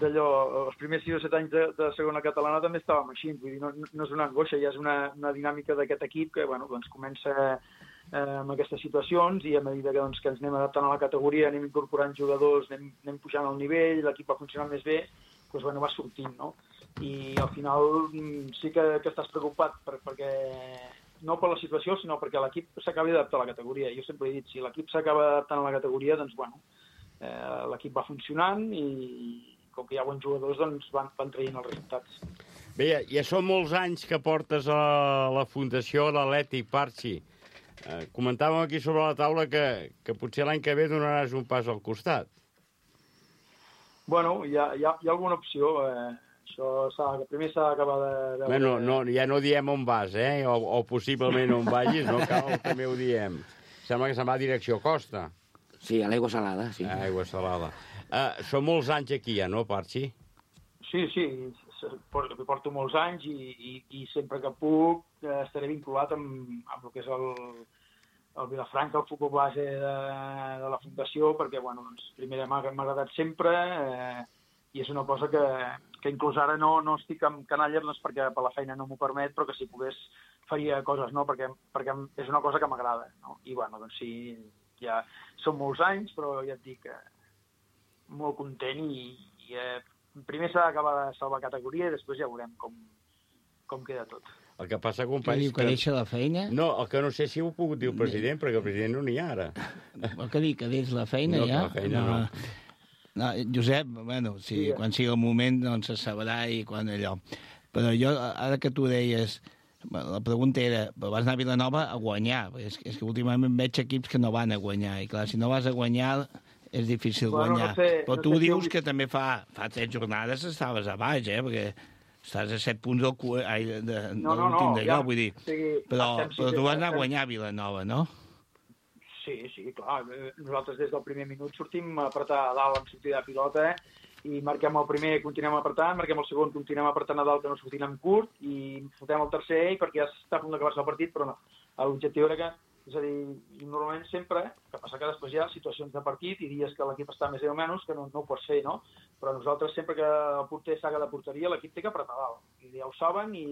D'allò, els primers sis o set anys de, de segona catalana també estàvem així, vull dir, no, no és una angoixa, ja és una, una dinàmica d'aquest equip que, bueno, doncs comença eh, amb aquestes situacions i a mesura que, doncs, que ens anem adaptant a la categoria, anem incorporant jugadors, anem, anem pujant el nivell, l'equip va funcionant més bé, doncs, bueno, va sortint, no? I al final sí que, que estàs preocupat per, perquè no per la situació, sinó perquè l'equip s'acaba d'adaptar a la categoria. Jo sempre he dit, si l'equip s'acaba adaptant a la categoria, doncs, bueno, eh, l'equip va funcionant i com que hi ha bons jugadors, doncs van, van traient els resultats. Bé, ja, ja són molts anys que portes a la Fundació l'Atlètic, Parxi. Eh, comentàvem aquí sobre la taula que, que potser l'any que ve donaràs un pas al costat. Bueno, hi ha, hi ha, hi ha alguna opció. Eh, això que primer s'ha d'acabar de... de... Bueno, no, ja no diem on vas, eh? O, o possiblement on vagis, no cal, també ho diem. Sembla que se'n va a direcció Costa. Sí, a l'aigua salada, sí. A aigua salada. Uh, són molts anys aquí, ja, no, Parxi? Sí, sí, porto molts anys i, i, i sempre que puc estaré vinculat amb, amb el que és el, el Vilafranca, el futbol base de, de la Fundació, perquè, bueno, doncs, primer m'ha agradat sempre eh, i és una cosa que, que inclús ara no, no estic amb canalles, no és perquè per la feina no m'ho permet, però que si pogués faria coses, no?, perquè, perquè és una cosa que m'agrada, no? I, bueno, doncs sí, ja són molts anys, però ja et dic, eh, molt content i, i eh, primer s'ha d'acabar de salvar categoria i després ja veurem com, com queda tot. El que passa, companys... Què diu, que deixa la feina? No, el que no sé si ho ha pogut dir el president, perquè el president no n'hi ha ara. El que diu, que deixa la feina, no, ja? No, la feina no. no. Josep, bueno, si, sí, quan sigui el moment, doncs se sabrà i quan allò. Però jo, ara que tu deies, la pregunta era, vas anar a Vilanova a guanyar, és que, és que últimament veig equips que no van a guanyar, i clar, si no vas a guanyar és difícil bueno, guanyar. No sé, però no tu sé dius si... que també fa, fa tres jornades estaves a baix, eh? Perquè estàs a set punts del cu... Ai, de, de, no, no, l'últim no, d'allò, ja, vull dir. O sigui, però, estem, però sí, tu vas anar estem... a guanyar a Vilanova, no? Sí, sí, clar. Nosaltres des del primer minut sortim a apretar a dalt en sortida de pilota, eh? I marquem el primer, continuem apretant, marquem el segon, continuem apretant a dalt, que no sortim en curt, i fotem el tercer, perquè ja està a punt d'acabar-se el partit, però no. L'objectiu era que, és a dir, normalment sempre, que passa que després hi ha situacions de partit i dies que l'equip està més o menys, que no, no ho pots fer, no? Però nosaltres, sempre que el porter saga de porteria, l'equip té que apretar dalt. I ja ho saben, i,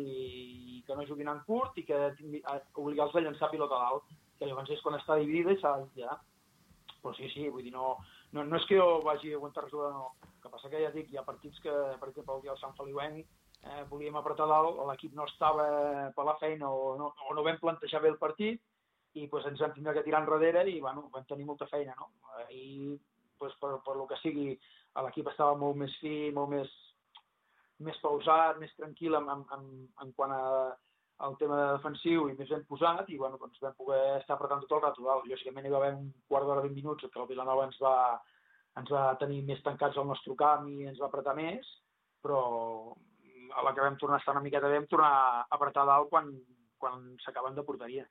i que no juguin en curt, i que obligar-los a llançar pilota a dalt, que llavors és quan està dividida i s'ha de ja. Però sí, sí, vull dir, no, no, no és que jo vagi a aguantar res, no. El que passa que ja dic, hi ha partits que, per exemple, el dia del Sant Feliuenc, eh, volíem apretar dalt, l'equip no estava per la feina o no, o no vam plantejar bé el partit, i pues, ens vam tindre que tirar enrere i bueno, vam tenir molta feina, no? I pues, per, per lo que sigui, l'equip estava molt més fi, molt més, més pausat, més tranquil en, en, en quant a el tema defensiu i més ben posat, i bueno, doncs vam poder estar apretant tot el rato dalt. Lògicament hi va haver un quart d'hora, vint minuts, que el Vilanova ens va, ens va tenir més tancats al nostre camp i ens va apretar més, però a la que vam tornar a estar una miqueta bé, vam tornar a apretar dalt quan, quan s'acaben de porteria.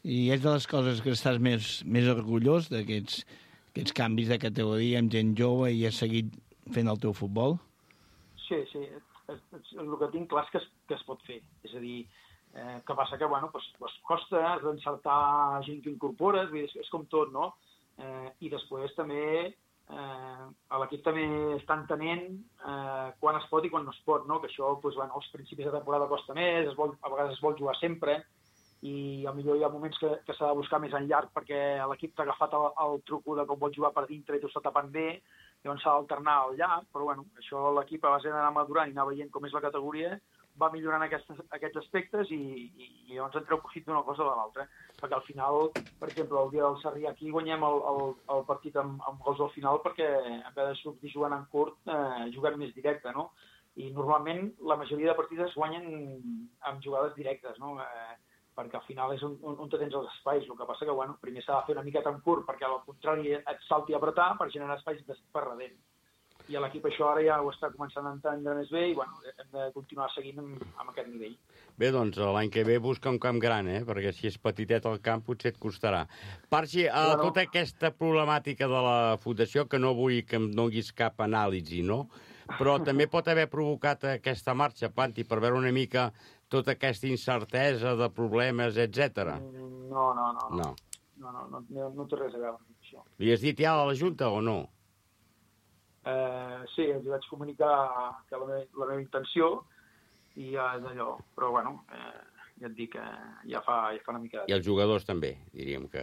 I és de les coses que estàs més, més orgullós d'aquests aquests canvis de categoria amb gent jove i has seguit fent el teu futbol? Sí, sí. El que tinc clar és que es, que es pot fer. És a dir, eh, que passa que, bueno, pues, pues costa, has d'encertar gent que incorpores, és, és com tot, no? Eh, I després també eh, l'equip també està entenent eh, quan es pot i quan no es pot, no? Que això, pues, bueno, als principis de temporada costa més, es vol, a vegades es vol jugar sempre, i potser hi ha moments que, que s'ha de buscar més en llarg perquè l'equip t'ha agafat el, el truco de com vol jugar per dintre i t'ho està tapant bé, llavors s'ha d'alternar al llarg, però bueno, això l'equip a base d'anar madurant i anar veient com és la categoria va millorant aquests, aquests aspectes i, i, i llavors en treu profit d'una cosa o de l'altra, perquè al final, per exemple, el dia del Sarrià aquí guanyem el, el, el partit amb, amb gols al final perquè en vez de sortir jugant en curt eh, juguem més directe, no? I normalment la majoria de partits es guanyen amb jugades directes, no? Eh, perquè al final és on, on, on tens els espais. El que passa que, bueno, primer s'ha de fer una miqueta en curt perquè al contrari et salti a apretar per generar espais per darrere. I l'equip això ara ja ho està començant a entendre més bé i, bueno, hem de continuar seguint amb, amb aquest nivell. Bé, doncs l'any que ve busca un camp gran, eh? Perquè si és petitet el camp potser et costarà. Parxi, a bueno, tota aquesta problemàtica de la fundació, que no vull que em donguis cap anàlisi, no? Però també pot haver provocat aquesta marxa, Panti, per veure una mica tota aquesta incertesa de problemes, etcètera. No, no, no. No. No, no, no, no, no té res a veure amb això. Li has dit ja a la Junta o no? Eh, sí, els vaig comunicar que la meva, la meva intenció i ja és allò. Però, bueno, eh, ja et dic que ja fa, ja fa una mica... I els jugadors també, diríem que...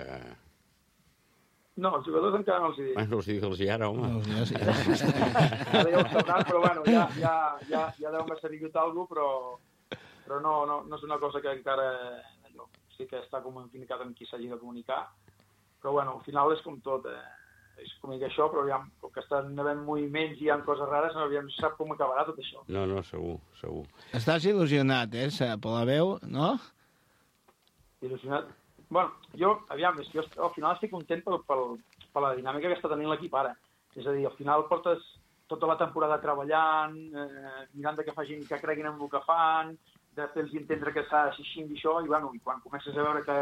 No, els jugadors encara no els hi dic. Bueno, els digues ara, home. No, ja, sí, ja. Ara ja ho sabran, però bueno, ja, ja, ja, ja deu-me ser dit alguna cosa, però, però no, no, no és una cosa que encara allò, sí que està comunicat amb qui s'hagi de comunicar, però bueno, al final és com tot, eh? És com que això, però ja, com que estan havent moviments i hi ha coses rares, no, ja no sap com acabarà tot això. No, no, segur, segur. Estàs il·lusionat, eh, per la veu, no? Il·lusionat? Bueno, jo, aviam, és que jo al final estic content per, per, per la dinàmica que està tenint l'equip ara. És a dir, al final portes tota la temporada treballant, eh, mirant de que facin, que creguin en el que fan, de fer-los entendre que s'ha així i això, i, bueno, i quan comences a veure que,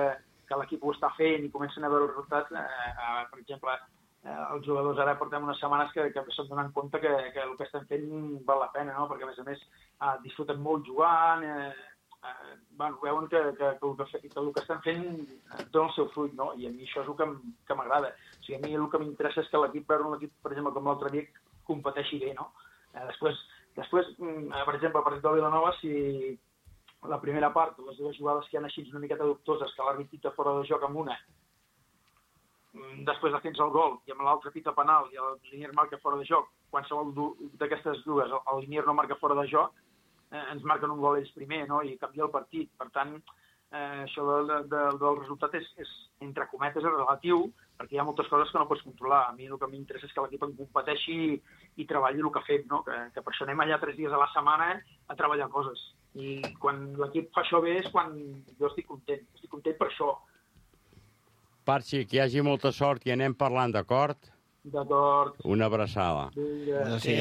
que l'equip ho està fent i comencen a veure els resultats, eh, eh, per exemple, eh, els jugadors ara portem unes setmanes que, que s'han donat compte que, que el que estem fent val la pena, no? Perquè, a més a més, eh, disfruten molt jugant, eh, eh, bueno, veuen que, que, que, el que, que el que estan fent dona el seu fruit, no? I a mi això és el que, que m'agrada. O sigui, a mi el que m'interessa és que l'equip, veure un equip, per exemple, com l'altre dia, competeixi bé, no? Eh, després, després, per exemple, el partit de Vilanova, si la primera part, les dues jugades que hi ha així una miqueta dubtoses, que l'àrbit pita fora de joc amb una, després de tens el gol, i amb l'altre pita penal, i el Linier marca fora de joc, qualsevol d'aquestes dues, el Linier no marca fora de joc, eh, ens marquen un gol ells primer, no?, i canvia el partit. Per tant, eh, això de, de, del resultat és, és, entre cometes, és relatiu, perquè hi ha moltes coses que no pots controlar. A mi el que m'interessa és que l'equip en competeixi i, i treballi el que fem, no? Que, que per això anem allà tres dies a la setmana a treballar coses. I quan l'equip fa això bé és quan jo estic content, estic content per això. Parxi, que hi hagi molta sort i anem parlant, d'acord? D'acord. Una abraçada. Vinga. Sí,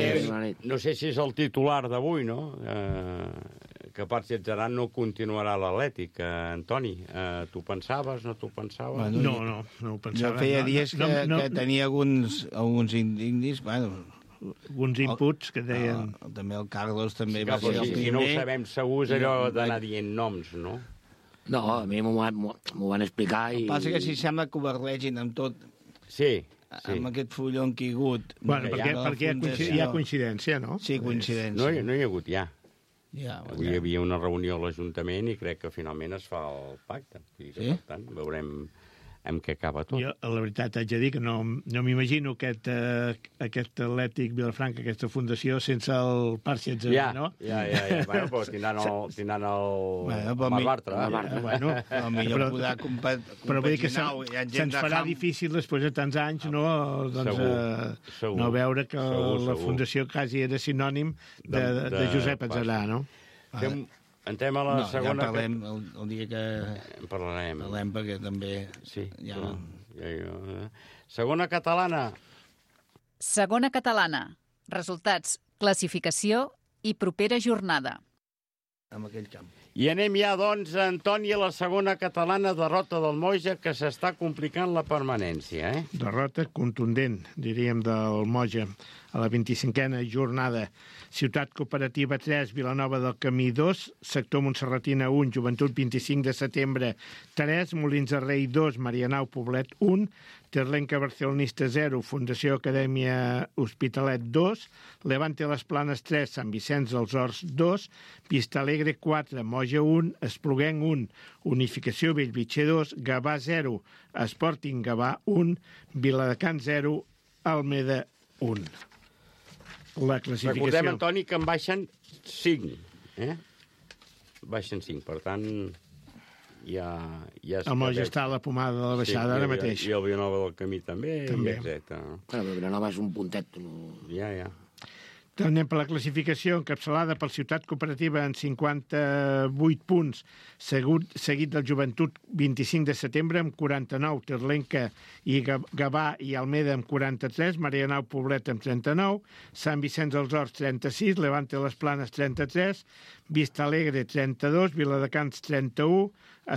no sé si és el titular d'avui, no? Eh, que Parxi Adzaran no continuarà a l'Atlètic. Eh, Antoni, eh, tu pensaves, no tu pensaves? Bueno, no, no, no ho pensava. Jo feia no, dies no, que, no, que tenia alguns, alguns indis, bueno... Alguns inputs que deien... No, també el Carlos també sí, va ser el si, primer. si no ho sabem segur és allò d'anar dient noms, no? No, a mi m'ho van, van explicar i... El que passa que si sembla que ho barregin amb tot... Sí, sí. Amb aquest fullon que hi ha hagut... Bueno, perquè, ja, perquè hi, ha coincidència, hi ha coincidència, no? Sí, coincidència. No, no hi ha hagut, ja. Ja, Avui hi havia una reunió a l'Ajuntament i crec que finalment es fa el pacte. I que, sí? Per tant, veurem amb què acaba tot. Jo, la veritat, haig de dir que no, no m'imagino aquest, uh, aquest Atlètic Vilafranca, aquesta fundació, sense el Parxi Adzaran, ja, no? Ja, ja, ja. Bueno, però tindran el, tindran el, bueno, el Marc Bartra. Ja, bueno, però millor podrà compaginar. Però vull dir que se'ns se farà ham... difícil després de tants anys, no? Doncs, segur, uh, segur, no veure que segur, la segur. fundació quasi era sinònim de, de, de, de Josep Adzaran, no? Fem, entrem a la no, segona... Ja parlem el, el dia que... En parlarem. Parlem perquè també... Sí, ja... no. Ja, ja. Segona catalana. Segona catalana. Resultats, classificació i propera jornada. Amb aquell camp. I anem ja, doncs, Antoni, a la segona catalana, derrota del Moja, que s'està complicant la permanència, eh? Derrota contundent, diríem, del Moja. A la vint-i-cinquena jornada, Ciutat Cooperativa tres, Vilanova del Camí dos, Sector Montserratina un, Joventut vint-i-cinc de setembre tres, Molins de Rei dos, Marianao Poblet un, Terlenca Barcelonista zero, Fundació Acadèmia Hospitalet dos, Levante Les Planes tres, Sant Vicenç dels Horts dos, Vista Alegre quatre, Moja un, Espluguenc un, Unificació Bellvitge dos, Gavà zero, Sporting Gavà un, Viladecans zero, Almeda un. La classificació... Recordem, Antoni, que en baixen cinc, eh? Baixen cinc, per tant, ja... ja el Moja està a la pomada de la baixada, sí, ara mateix. I el Vilanova del Camí també, també. I etcètera. Bueno, però Vilanova és un puntet. No... Ja, ja. Anem per la classificació, encapçalada per Ciutat Cooperativa en cinquanta-vuit punts, segut, seguit del Joventut vint-i-cinc de setembre amb quaranta-nou, Terlenca i Gavà i Almeda amb quaranta-tres, Marianao Poblet amb trenta-nou, Sant Vicenç dels Horts trenta-sis, Levante Les Planes trenta-tres, Vista Alegre trenta-dos, Viladecans trenta-u,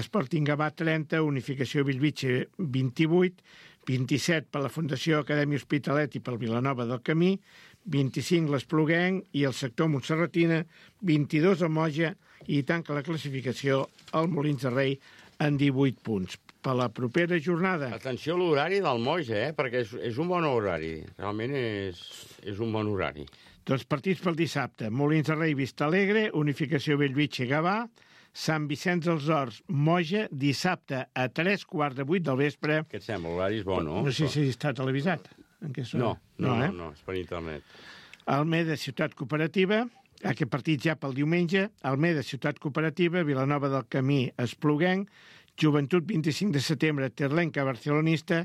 Sporting Gavà trenta, Unificació Bellvitge vint-i-vuit, vint-i-set per la Fundació Acadèmia Hospitalet i pel Vilanova del Camí, vint-i-cinc l'Espluguenc i el sector Montserratina, vint-i-dos el Moja i tanca la classificació el Molins de Rei en divuit punts. Per la propera jornada... Atenció a l'horari del Moja, eh? Perquè és, és un bon horari. Realment és, és un bon horari. Doncs partits pel dissabte. Molins de Rei, Vista Alegre, Unificació Bellvitge, Gavà, Sant Vicenç dels Horts, Moja, dissabte a tres quarts de vuit del vespre. Què et sembla? L'horari és bo, no? No sé si està televisat. En què no, no, no, eh? no, és per internet. Almeda, Ciutat Cooperativa, aquest partit ja pel diumenge, Almeda, Ciutat Cooperativa, Vilanova del Camí, Espluguenc, Joventut vint-i-cinc de setembre, Terlenca Barcelonista,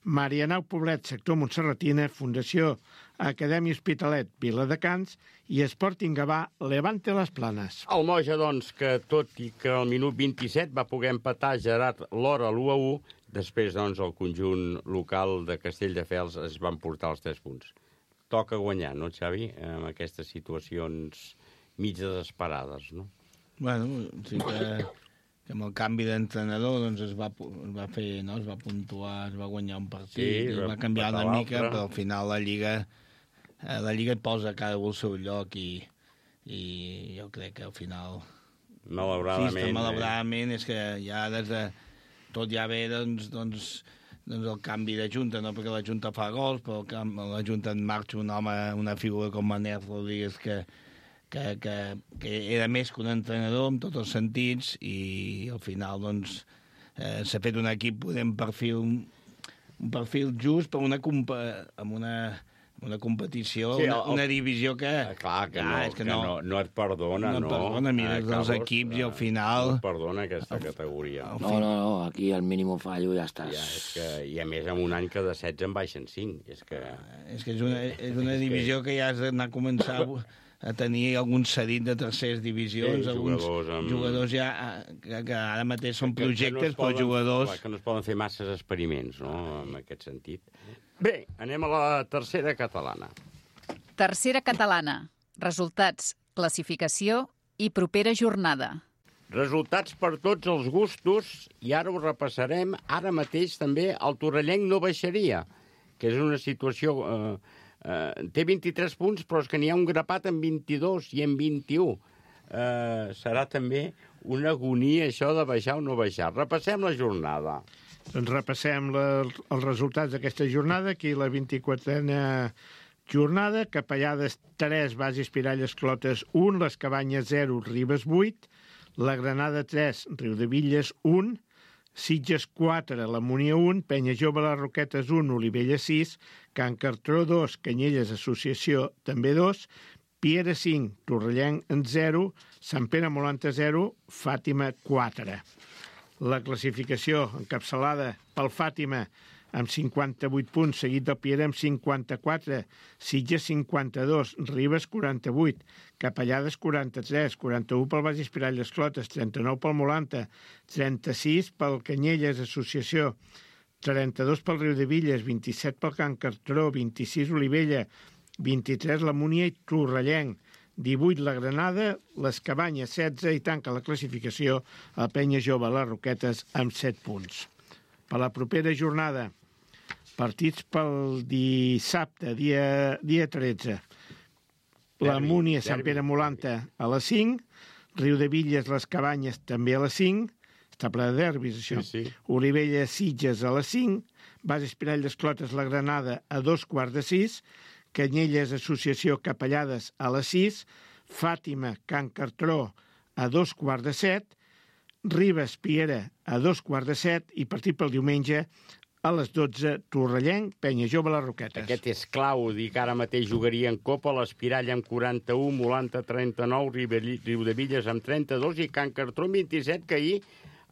Marianao Poblet, Sector Montserratina, Fundació Acadèmia Hospitalet, Viladecans i Sporting Gavà, Levante Les Planes. El Moja, doncs, que tot i que al minut vint-i-set va poder empatar Gerard Lora l'u a u, després, doncs, el conjunt local de Castelldefels es van portar els tres punts. Toca guanyar, no, Xavi? En aquestes situacions mig desesperades, no? Bueno, sí que, que amb el canvi d'entrenador doncs es va, es va fer, no? Es va puntuar, es va guanyar un partit, sí, es va canviar una mica, però al final la Lliga la Lliga et posa cada un al seu lloc i, i jo crec que al final... Malauradament. Sí, malauradament, eh? És que ja des de... Tot ja ve, doncs, doncs, doncs el canvi de junta, no perquè la junta fa gols, però la junta en marxa un home, una figura com Manel Rodríguez, que, que, que, que era més que un entrenador en tots els sentits, i al final, doncs, eh, s'ha fet un equip, podem perfil, un perfil just per una, amb una, una competició, sí, el, una, una divisió que... Clar, que, no, és que, que no, no, no et perdona, no. No et perdona, mires els equips i al final... No et perdona aquesta categoria. No, no, no, aquí al mínim fallo ja estàs... Ja, és que, I a més, en un any que de setze en baixen cinc. És que, és, que és una, és una divisió que ja has d'anar a començar a, a tenir algun cedit de terceres divisions, sí, alguns jugadors, amb... jugadors ja que, que ara mateix són que, projectes, que no però jugadors... Clar, que no es poden fer masses experiments, no?, en aquest sentit. Bé, anem a la tercera catalana. Tercera catalana. Resultats, classificació i propera jornada. Resultats per tots els gustos, i ara ho repassarem. Ara mateix també el torrellenc no baixaria, que és una situació... Eh, eh, té vint-i-tres punts, però és que n'hi ha un grapat en vint-i-dos i en vint-i-u. Eh, serà també una agonia això de baixar o no baixar. Repassem la jornada. Doncs repassem la, els resultats d'aquesta jornada. Aquí la vint-i-quatrena jornada, Capellades tres, Bases Piralles Clotes un, Les Cabanyes zero, Ribes vuit, la Granada tres, Riudevilles un, Sitges quatre, la Múnia un, Penya Jove les Roquetes un, Olivella sis, Can Cartró dos, Canyelles Associació també dos, Piera cinc, Torrellenc zero, Sant Pere Molanta zero, Fàtima quatre. La classificació encapçalada pel Fàtima amb cinquanta-vuit punts, seguit del Piera amb cinquanta-quatre, Sitges cinquanta-dos, Ribes quaranta-vuit, Capellades quaranta-tres, quaranta-u pel Bages Piralles Clotes, trenta-nou pel Molanta, trenta-sis pel Canyelles Associació, trenta-dos pel Riudevilles, vint-i-set pel Can Cartró, vint-i-sis Olivella, vint-i-tres la Múnia i Torrellenc, divuit la Granada, les Cabanyes setze i tanca la classificació el Penya Jove les Roquetes amb set punts. Per la propera jornada, partits pel dissabte, dia, dia tretze. La Múnia, Sant Pere Molanta a les cinc, Riudevilles, les Cabanyes també a les cinc, està ple de derbis això, sí, sí. Olivella, Sitges a les cinc, Bases Piralles Clotes, la Granada a dos quarts de sis, Canyelles Associació Capellades a les sis, Fàtima, Can Cartró a dos quarts de set, Ribes, Piera a dos quarts de set i partit pel diumenge a les dotze, Torrellenc, Penya Jove les Roquetes. Aquest és clau, dir que ara mateix jugaria en Copa, l'Espirall amb quaranta-u, Molanta trenta-nou, Riudevilles amb trenta-dos i Can Cartró amb vint-i-set, que ahir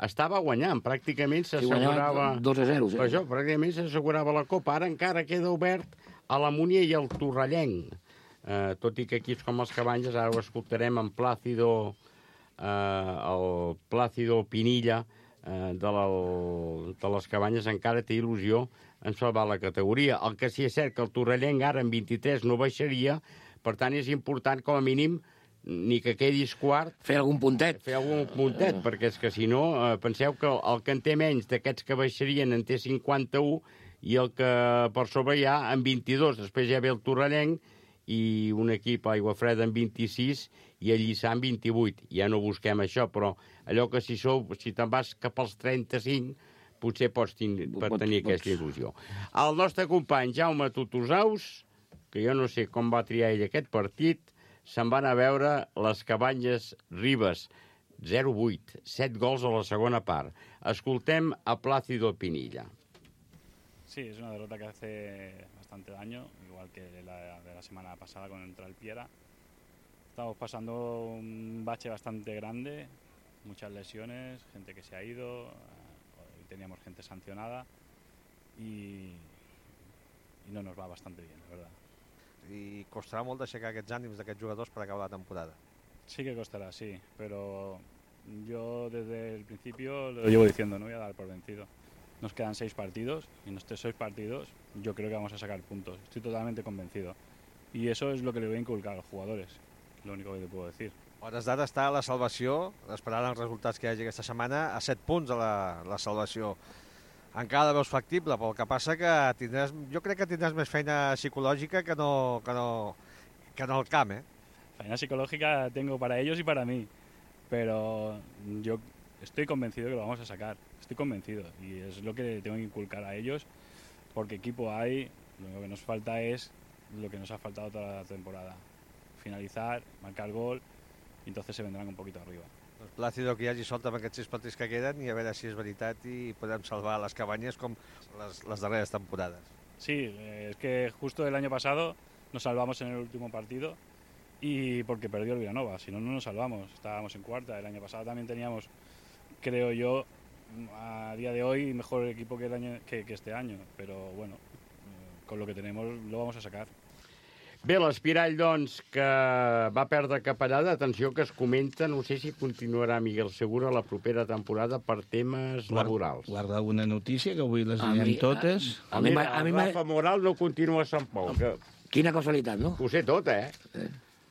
estava guanyant, pràcticament s'assegurava... dos a zero, sí. Per això, pràcticament s'assegurava la Copa. Ara encara queda obert a la Múnia i al Torrellenc. Eh, tot i que equips com els Cabanyes, ara ho escoltarem en Plàcido, eh, el Plàcido Pinilla, eh, de, la, de les Cabanyes, encara té il·lusió en salvar la categoria. El que sí és cert que el Torrellenc ara en vint-i-tres no baixaria, per tant és important com a mínim ni que quedis quart... Fer algun puntet. Fer algun puntet, uh. perquè és que si no, eh, penseu que el que en té menys d'aquests que baixarien en té cinquanta-u i el que per sobre hi ha en vint-i-dos. Després ja ve el Torrellenc i un equip Aigua Freda en vint-i-sis i el Lliçà en vint-i-vuit. Ja no busquem això, però allò que si sou, si te'n vas cap als trenta-cinc, potser pots tenir, per tenir aquesta il·lusió. El nostre company Jaume Tutusaus, que jo no sé com va triar ell aquest partit, se'n van a veure les Cabanyes Ribes, zero vuit, set gols a la segona part. Escoltem a Plácido Pinilla. Sí, es una derrota que hace bastante daño, igual que la de la semana pasada contra el Piera. Estamos pasando un bache bastante grande, muchas lesiones, gente que se ha ido, hoy teníamos gente sancionada y, y no nos va bastante bien, la verdad. I costarà molt d'aixecar aquests ànims d'aquests jugadors per acabar la temporada. Sí que costará, sí, pero yo desde el principio lo llevo diciendo, no voy a dar por vencido. Nos quedan seis partidos y en estos seis partidos yo creo que vamos a sacar puntos, estoy totalmente convencido. Y eso es lo que le voy a inculcar a los jugadores, lo único que te puedo decir. A hores d'ara està a la salvació, esperant els resultats que hi hagi aquesta setmana, a set punts de la, la salvació. Encara la veus factible, però el que passa que tindràs, jo crec que tindràs més feina psicològica que no, que no, que no el camp, eh? Feina psicológica tengo para ellos y para mí, pero yo estoy convencido que lo vamos a sacar, estoy convencido, y es lo que tengo que inculcar a ellos, porque equipo hay, lo único que nos falta es lo que nos ha faltado toda la temporada, finalizar, marcar gol, y entonces se vendrán un poquito arriba. Doncs Plàcido, que hi hagi sort amb aquests sis partits que queden i a veure si és veritat i podem salvar les Cabanyes com les, les darreres temporades. Sí, eh, es que justo el año pasado nos salvamos en el último partido y porque perdió el Villanova, si no, no nos salvamos, estábamos en cuarta. El año pasado también teníamos, creo yo, a día de hoy mejor equipo que, el año, que, que este año, pero bueno, eh, con lo que tenemos lo vamos a sacar. Bé, l'Espirall, doncs, que va perdre Capellada, atenció que es comenta, no sé si continuarà Miguel Segura la propera temporada per temes laborals. Guarda alguna notícia, que avui les direm totes. A, a, a, Mira, a mi Rafa Moral no continua a Sant Pau. Que... Quina casualitat, no? Ho sé tot, eh? eh.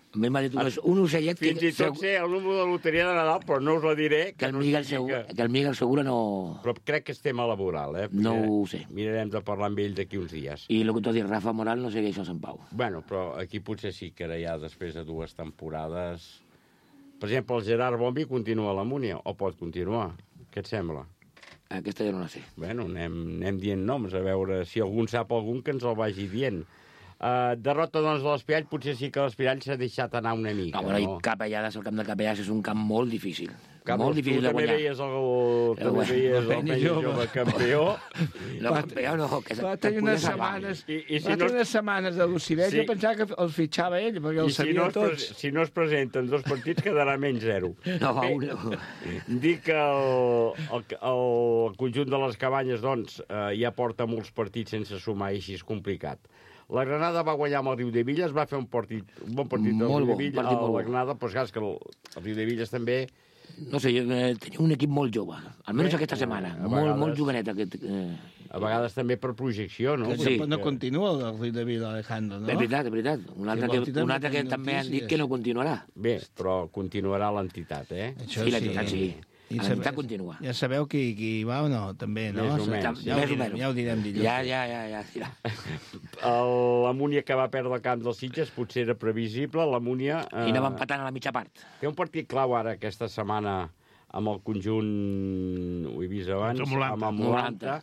A mi m'ha dit un, un ocellet... Fins i tot sé el número de loteria de Nadal, però no us la diré. Que, que, el, Miguel Segura, que... que el Miguel Segura no... Però crec que és tema laboral, eh? No ho sé. Mirarem de parlar amb ell d'aquí uns dies. I el que t'ho dit, Rafa Moral no segueix a Sant Pau. Bueno, però aquí potser sí que ara ja després de dues temporades... Per exemple, el Gerard Bombi continua a la Múnia, o pot continuar. Què et sembla? Aquesta ja no la sé. Bueno, anem, anem dient noms, a veure si algun sap algun que ens el vagi dient. Uh, derrota, doncs, de l'Espirall, potser sí que l'Espirall s'ha deixat anar una mica, no? Bueno, no? I Capellades, el camp de Capellades és un camp molt difícil. Carlos, molt difícil de guanyar. Tu també veies el, també veies el Penya Jove campió. No, campió no, que va tenir unes setmanes, I, i si va tenir no... unes setmanes de Lucidet, sí. Jo pensava que el fitxava ell, perquè el sabia si no tots. Pre... Si no es presenten dos partits, quedarà menys zero. No, Bé, no. Dic que el, el, el conjunt de les Cabanyes, doncs, eh, ja porta molts partits sense sumar i així és complicat. La Granada va guanyar amb el Riudevilles, va fer un, partit, un bon partit del Riudevilles, a la Granada, però és que el, el Riudevilles també... No sé, eh, tenia un equip molt jove, almenys aquesta setmana, eh, molt, molt jovenet. Aquest, eh... A vegades també per projecció, no? Que sí. No continua el Riudevilles, Alejandro, no? És veritat, és veritat. Un altre que, un altre que també han dit que no continuarà. Bé, però continuarà l'entitat, eh? Això sí, l'entitat sí. L'entitat continua. Ja sabeu qui, qui va o no, també, no? Més o menys. Ja, ja, ho, ja ho direm dilluns. Ja, ja, ja, ja. ja. La Múnia que va perdre el camp dels Sitges potser era previsible. La Múnia... Eh, I anava empatant a la mitja part. Té un partit clau ara aquesta setmana amb el conjunt, ho he vist abans, amb el Molanta.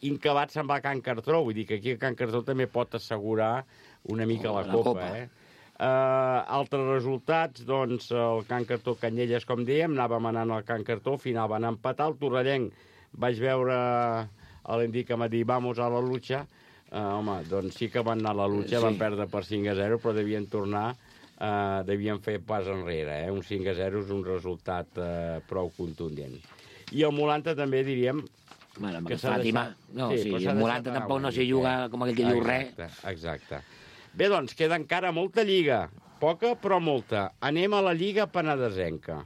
Incabat se'n va a Can Cartró. Vull dir que aquí a Can Cartró també pot assegurar una mica oh, la, la Copa, Copa. eh? Uh, altres resultats, doncs, el Can Cartó Canyelles, com dèiem, anàvem anant al Can Cartó, al final van empatar, el Torrellenc vaig veure l'Endic que m'ha dit vamos a la lucha, uh, home, doncs sí que van anar a la lucha, sí. Van perdre per cinc a zero, però devien tornar, uh, devien fer pas enrere, eh? Un cinc a zero és un resultat uh, prou contundent. I el Molanta també diríem bueno, que s'ha deixat... No, sí, sí, el Molanta tampoc no s'hi juga com aquell que diu res. Exacte, exacte. Bé, doncs, queda encara molta lliga. Poca, però molta. Anem a la Lliga Penedesenca.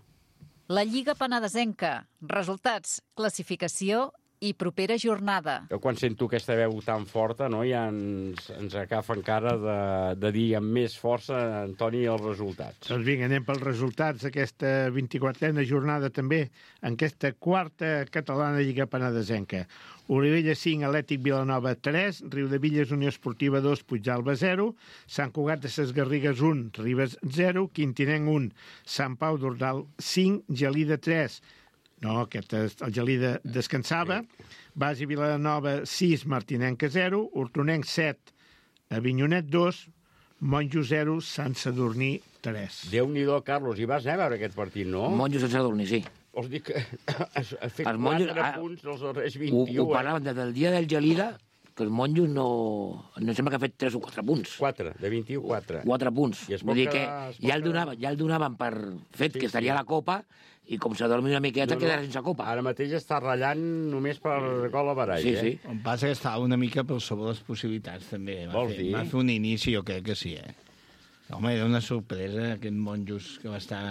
La Lliga Penedesenca. Resultats, classificació i propera jornada. Jo quan sento aquesta veu tan forta, no, ja ens, ens agafa encara de, de dir amb més força, Antoni, els resultats. Doncs vinga, anem pels resultats d'aquesta vint-i-quatrena jornada també, en aquesta quarta catalana Lliga Penedesenca. Olivella cinc, Atlètic Vilanova tres, Riudevilles Unió Esportiva dos, Puigdàlber zero, Sant Cugat de ses Garrigues un, Ribes zero, Quintinenc un, Sant Pau d'Ordal cinc, Gelida tres, no, aquest el Gelida descansava, Basi Vilanova sis, Martinenca zero, Hortonenc set, Avinyonet dos, Monjo zero, Sant Sadurní tres. Déu-n'hi-do, Carlos, hi vas anar a veure aquest partit, no? Monjo Sant Sadurní, sí. Us dic que ha fet quatre monjos, punts dels darrers vint-i-u. Ho, ho parlaven des del dia del Gelida, que els monjos no... No sembla que ha fet tres o quatre punts. quatre, de vint-i-u, quatre. quatre punts. Vull dir que ja el, donaven, ja el donaven per fet sí, que estaria a la Copa i com s'adormi una miqueta no, no. quedarà sense Copa. Ara mateix està ratllant només per gol a barall, sí, eh? Sí. El passa que estava una mica per sobre les possibilitats, també. Va Vols fer, dir? Va fer un inici, jo crec que sí, eh? Home, era una sorpresa, aquest monjos que va estar...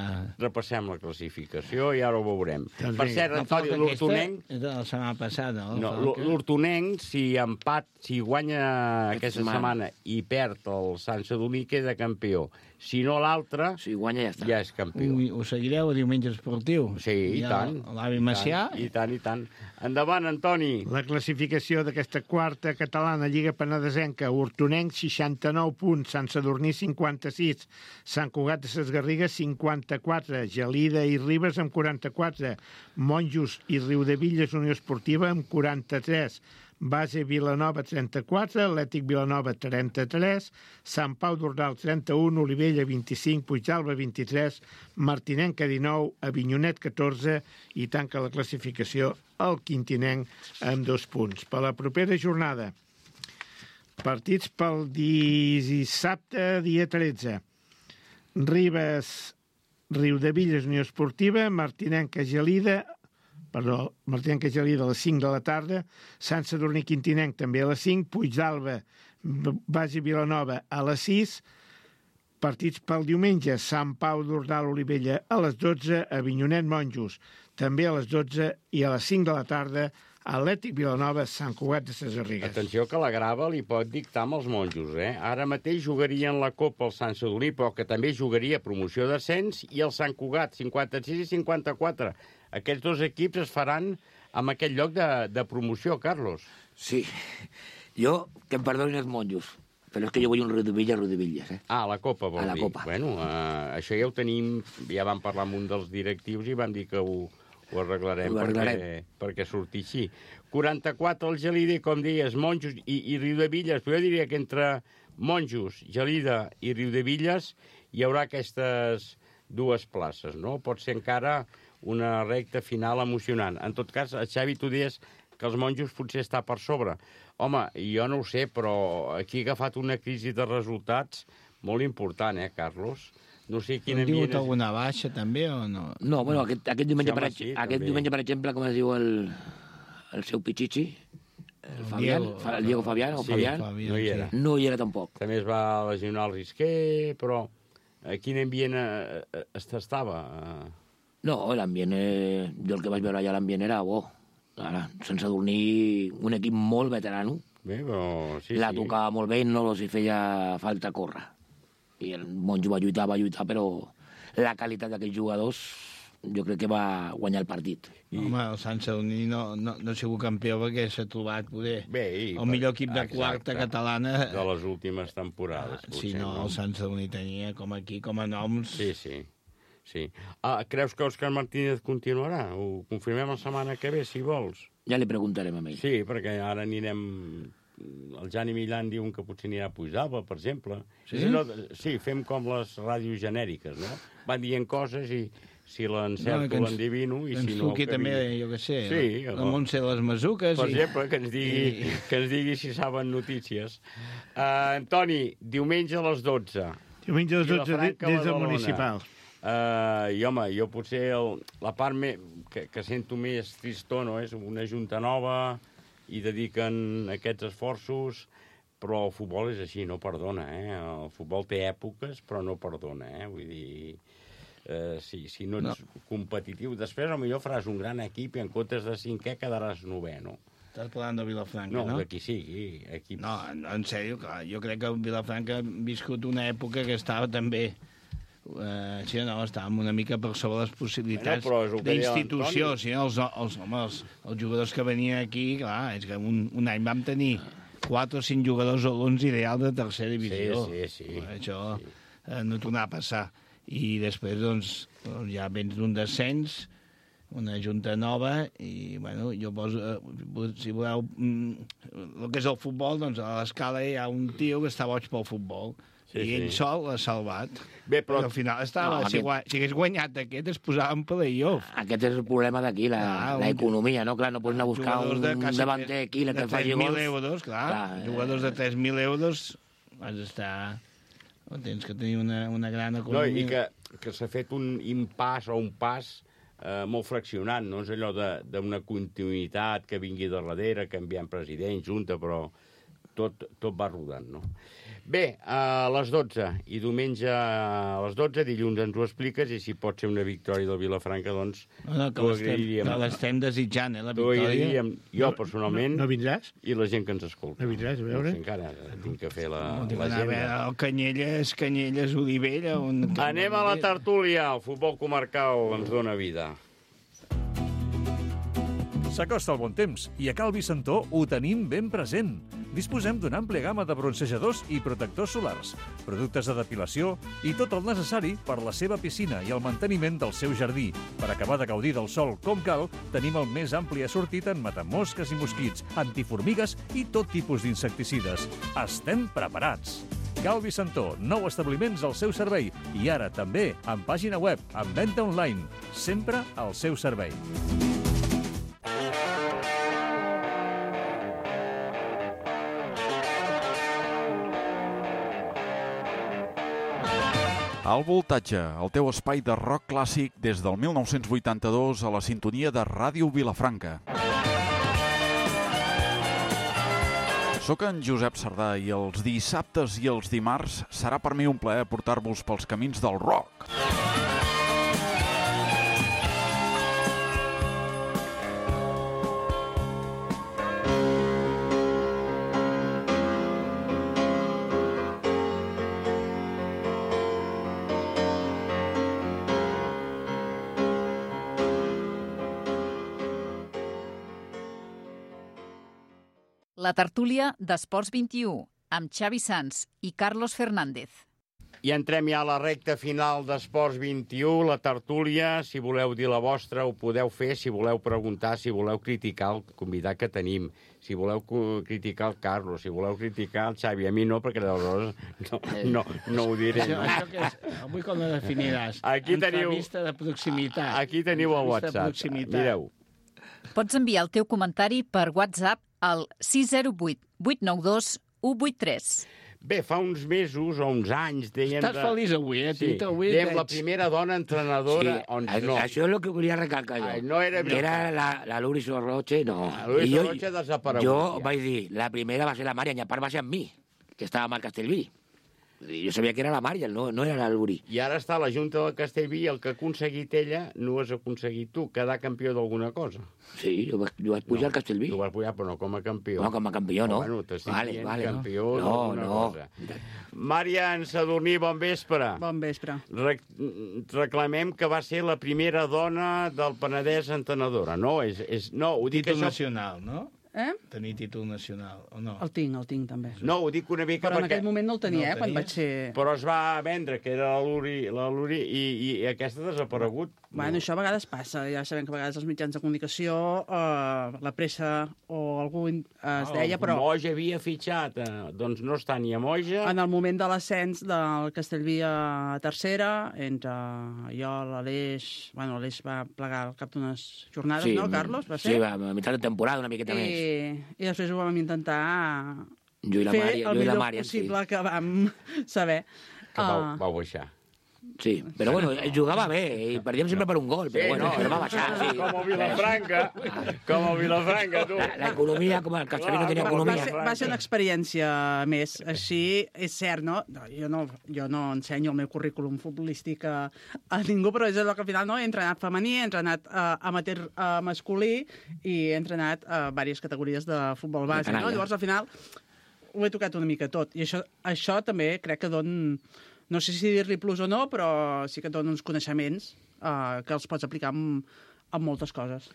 Repassem la classificació i ara ho veurem. Doncs per cert, no, Antoni, l'Hortonenc... És de la setmana passada, no? No, l'Hortonenc, si empat, si guanya aquesta setmana. setmana i perd el Sant Sadurní, queda campió. Si no l'altre, si guanya ja està. Ja és campió. Ui, ho seguireu a Diumenge Esportiu? Sí, i ja tant. L'avi Macià? I tant, i tant. Endavant, Antoni. La classificació d'aquesta quarta catalana Lliga Penedesenca, Hortonenc, seixanta-nou punts, Sant Sadurní, cinquanta-sis, Sant Cugat de ses Garrigues, cinquanta-quatre, Gelida i Ribes amb quaranta-quatre, Monjos i Riudevilles Unió Esportiva amb quaranta-tres, Base Vilanova trenta-quatre, Atlètic Vilanova trenta-tres, Sant Pau d'Ordal trenta-un, Olivella vint-i-cinc, Puigdàlber vint-i-tres, Martinenca dinou, Avinyonet catorze i tanca la classificació el Quintinenc amb dos punts. Per la propera jornada, partits pel dissabte, dia tretze. Ribes, Riudevilles Unió Esportiva, Martinenca Gelida, perdó, Martinenca Gelida a les cinc de la tarda, Sant Sadurní Quintinenc també a les cinc, Puigdàlber, Basi Vilanova a les sis, Partits pel diumenge, Sant Pau d'Ordal-Olivella a les dotze, Avinyonet-Monjos també a les dotze i a les cinc de la tarda Atlètic Vilanova, Sant Cugat de ses Garrigues. Atenció que la grava li pot dictar amb els monjos, eh? Ara mateix jugarien la Copa el Sant Sadurní, però que també jugaria promoció d'ascens, i el Sant Cugat, cinquanta-sis i cinquanta-quatre. Aquests dos equips es faran amb aquest lloc de, de promoció, Carlos. Sí. Jo, que em perdonin els monjos, però és que jo vull un Riudevilles, Riudevilles, eh? Ah, la Copa, vol dir? A la dir. Copa. Bueno, eh, això ja ho tenim, ja vam parlar amb un dels directius i vam dir que ho... Ho arreglarem, ho arreglarem. Perquè, perquè surti així. quaranta-quatre el Gelida, com deies, Monjos i, i Riudevilles. Però jo diria que entre Monjos, Gelida i Riudevilles hi haurà aquestes dues places, no? Pot ser encara una recta final emocionant. En tot cas, Xavi, tu deies que els Monjos potser està per sobre. Home, jo no ho sé, però aquí ha agafat una crisi de resultats molt important, eh, Carlos? No sé quin ambient... és... alguna baixa, també, o no? No, bueno, aquest, aquest, diumenge, Sí, home, per, sí, aquest també. diumenge, per exemple, com es diu el, el seu Pichichi, el Fabián, Diego, Fa- el Diego Fabián, o Sí, Fabián, no hi era. no hi era tampoc. També es va lesionar el Risquer, però a quin ambient eh, eh, estava? No, l'ambient, eh, jo el que vaig veure allà l'ambient era bo. Ara, sense dormir un equip molt veterano, Bé, però sí, la sí. tocava molt bé i no els hi feia falta córrer. I el Monjo va lluitar, va lluitar, però la qualitat d'aquests jugadors jo crec que va guanyar el partit. I... Home, el Sant Sadurní no, no, no ha sigut campió perquè s'ha trobat poder Bé, i, el millor equip de exacte, quarta catalana. De les últimes temporades. Ah, sí, no, el Sant Sadurní tenia com aquí, com a noms... Sí, sí. sí. Ah, creus que Òscar Martínez continuarà? Ho confirmem la setmana que ve, si vols. Ja li preguntarem a ell. Sí, perquè ara anirem... El Jani Millan diu que potser anirà a Puigdàlber, per exemple. Sí? Si no, sí, fem com les ràdios genèriques, no? Van dient coses i si l'encerto, No, ens- l'endivino, i que ens si no... truqui que també, vingui. jo què sé, sí, la Montse de les Masuques. Per i- exemple, que ens digui, i- que ens digui si saben notícies. Uh, Antoni, diumenge a les dotze. Diumenge a les dotze Vilafranca, des del Badalona. municipal. Uh, I, home, jo potser el, la part me, que, que sento més tristó, no? És una junta nova i dediquen aquests esforços, però el futbol és així, no perdona, eh? El futbol té èpoques, però no perdona, eh? Vull dir, eh, si, si no ets no. competitiu, després potser faràs un gran equip i en comptes de cinquè quedaràs novè, no? Estàs parlant de Vilafranca, no? no? No, de qui sigui. Equips... No, no, en sèrio, clar, jo crec que Vilafranca ha viscut una època que estava també... Uh, sí, no, estàvem una mica per sobre les possibilitats bueno, d'institució. Sí, els, els, home, els, els jugadors que venien aquí, clar, és que un, un any vam tenir quatre o cinc jugadors a l'onze ideal de tercera divisió. Sí, sí, sí. Això sí. Eh, no tornava a passar. I després, doncs, ja vens d'un descens, una junta nova, i, bueno, jo poso, eh, si voleu, mm, el que és el futbol, doncs, a l'escala hi ha un tio que està boig pel futbol. Sí, I ell sí. sol l'ha salvat. Bé, però... Al final estava... No, si, aquest... si hagués guanyat aquest, es posava en play-off. Aquest és el problema d'aquí, la, ah, un... l'economia, no? Clar, no pots anar a buscar un de davanter aquí que et faci gols. De tres mil euros, clar. clar jugadors de tres mil euros has d'estar... Tens que tenir una, una gran economia. No, i que, que s'ha fet un impàs o un pas eh, molt fraccionat, no és allò d'una continuïtat que vingui de darrere, canviant president, junta, però tot, tot va rodant, no? Bé, a les dotze, i diumenge a les dotze, dilluns ens ho expliques, i si pot ser una victòria del Vilafranca, doncs no, no, que l'estem desitjant, eh, la victòria. Jo, personalment, no, no vindràs? I la gent que ens escolta. No vindràs, a veure? No sé, encara tinc que fer la, no, l'agenda. El Canyelles, Canyelles, Olivella... On... Anem a la tertúlia, el futbol comarcal ens dona vida. S'acosta el bon temps i a Cal Vicentó ho tenim ben present. Disposem d'una àmplia gamma de bronzejadors i protectors solars, productes de depilació i tot el necessari per la seva piscina i el manteniment del seu jardí. Per acabar de gaudir del sol com cal, tenim el més ampli assortit en matamosques i mosquits, antiformigues i tot tipus d'insecticides. Estem preparats! Cal Vicentó, nou establiments al seu servei i ara també en pàgina web, en venda online, sempre al seu servei. El Voltatge, el teu espai de rock clàssic des del mil nou-cents vuitanta-dos a la sintonia de Ràdio Vilafranca. Soc en Josep Sardà i els dissabtes i els dimarts serà per mi un plaer portar-vos pels camins del rock. La tertúlia d'Esports vint-i-u, amb Xavi Sans i Carlos Fernández. I entrem ja a la recta final d'Esports vint-i-u, la tertúlia. Si voleu dir la vostra, ho podeu fer. Si voleu preguntar, si voleu criticar el convidat que tenim, si voleu criticar el Carlos, si voleu criticar el Xavi. A mi no, perquè aleshores no, no, no ho diré. Això, No? això que és, avui com la definiràs? Aquí teniu- Entrevista de proximitat. Aquí teniu el Entrevista de WhatsApp. proximitat. Mireu. Pots enviar el teu comentari per WhatsApp al sis zero vuit vuit nou dos u vuit tres. Bé, fa uns mesos o uns anys dèiem... Estàs feliç avui, eh, Sí, Tito? Avui dèiem veig. la primera dona entrenadora... Sí, on a- no. això és el que volia recalcar jo. Ai, no era que era la, la Luri Sorroche, no. La Luri I jo- Sorroche ha desaparegut, Jo ja. vaig dir, la primera va ser la Mària, i a part va ser amb mi, que estava amb el Castellví. Jo sabia que era la Mària, no, no era la Luri. I ara està a la Junta del Castellví i el que ha aconseguit ella no ho has aconseguit tu, quedar campió d'alguna cosa. Sí, jo vaig, jo vaig pujar No, al Castellví. Tu vas pujar, però no com a campió. No, com a campió, no. Oh, bueno, t'estic Vale, dient vale, no. campió No, d'alguna no. cosa. Mària en Sadurní, bon vespre. Bon vespre. Re reclamem que va ser la primera dona del Penedès entrenadora, no? És, és, no, ho dic Títol això... nacional, no? Eh? Tenir títol nacional, o no? El tinc, el tinc també. No, ho dic una mica Però en perquè... aquell moment no el tenia, No el eh, quan tenies? vaig ser... Però es va vendre, que era la Luri, la Luri i, i aquesta ha desaparegut. Bueno, això a vegades passa. Ja sabem que a vegades els mitjans de comunicació, eh, la pressa o algú es deia, però Moja havia fitxat, eh, doncs no està ni a Moja. en el moment de l'ascens del Castellví a tercera, entre jo, l'Aleix... Bueno, l'Aleix va plegar al cap d'unes jornades, Sí, no, Carlos? Va ser? Sí, va, a mitjà de temporada, una miqueta més. I, I després ho vam intentar Jo i la fer Mària, el jo i la millor Mària, sí. possible que vam saber. Que vau, Ah, vau baixar. Sí, però bueno, ell jugava bé, i perdíem sempre per un gol, però bueno, però va baixar, sí. Com a Vilafranca, com a Vilafranca, tu. L'economia, com el Castellví no tenia va, economia. ser, va ser una experiència més. Així, és cert, no? no jo, no jo no ensenyo el meu currículum futbolístic a, a ningú, però és el que al final no? He entrenat femení, he entrenat uh, amateur uh, masculí i he entrenat a uh, diverses categories de futbol base. No? Llavors, al final, ho he tocat una mica tot. I això, això també crec que don... No sé si dir-li plus o no, però sí que et dona uns coneixements uh, que els pots aplicar amb, amb moltes coses.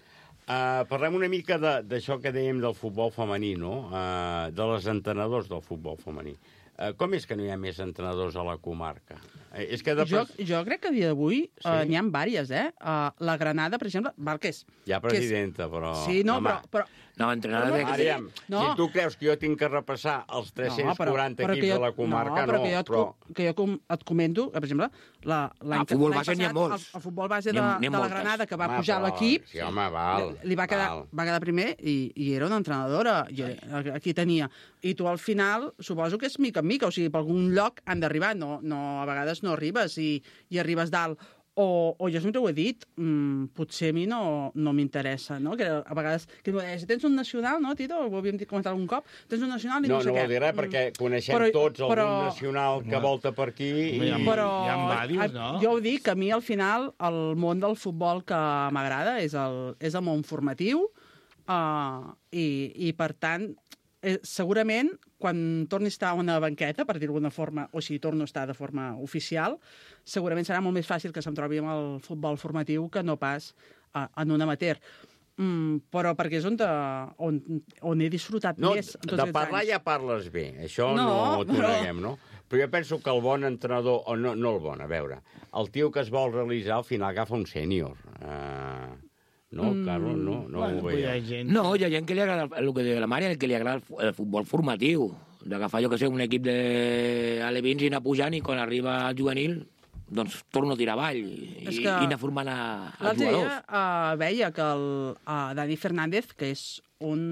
Uh, parlem una mica de- d'això que dèiem del futbol femení, no? Uh, de les entrenadors del futbol femení. Uh, com és que no hi ha més entrenadors a la comarca? Uh, és que de... Jo, jo crec que a dia d'avui Sí? uh, n'hi ha diverses, eh? Uh, la Granada, per exemple, val que és... Hi ha que és- presidenta, però... Sí, no, home, però... però No, entrenador Però de... no, Aviam, No. si tu creus que jo tinc que repassar els tres-cents quaranta però equips que jo- de la comarca, no, però no, que jo et, però... co- que jo com, et comento, que, per exemple, la, l'any Ah, futbol l'any base n'hi ha passat, molts. El, el futbol base N'hi de, ha- n'hi ha de la moltes. Granada, que va Home, pujar però- l'equip, Sí, home, val. li, li va, quedar, val. va quedar primer i, i era una entrenadora. I, aquí tenia. I tu al final, suposo que és mica en mica, o sigui, per algun lloc han d'arribar, no, no, a vegades no arribes i, i arribes dalt. O, o jo sempre ho he dit, mmm, potser a mi no, no m'interessa, no? Que a vegades, que em deia, si tens un nacional, no, Tito? Ho havíem dit comentat algun cop, tens un nacional i no, No, sé no què. vol dir res, perquè coneixem Però- tots algun però- nacional que volta per aquí i... Home, hi ha- Però hi ha diversos, no? jo ho dic, a mi al final el món del futbol que m'agrada és, el, és el món formatiu uh, i, i per tant eh, segurament quan torni a estar a una banqueta, per dir-ho d'alguna forma, o si torno a estar de forma oficial, segurament serà molt més fàcil que se'm trobi amb el futbol formatiu que no pas uh, en un amateur. Mm, però perquè és on, te, on, on he disfrutat No, més en tots de aquests parlar anys. ja parles bé, això no, No, no t'ho però- neguem, no? Però jo penso que el bon entrenador, o no, no el bon, a veure, el tio que es vol realitzar al final agafa un sènior. Uh, no, Mm, Carlos, no, no Bueno, ho pues hi ha veieu. gent... No, hi ha gent que li agrada el, el que diu la Mària, el que li agrada el, fu- el futbol formatiu. D'agafar, jo que sé, un equip d'alevins i anar pujant i quan arriba al juvenil, doncs torno a tirar avall i, És i que anar formant a, als L'altre dia jugadors. uh, veia que el uh, Dani Fernández, que és un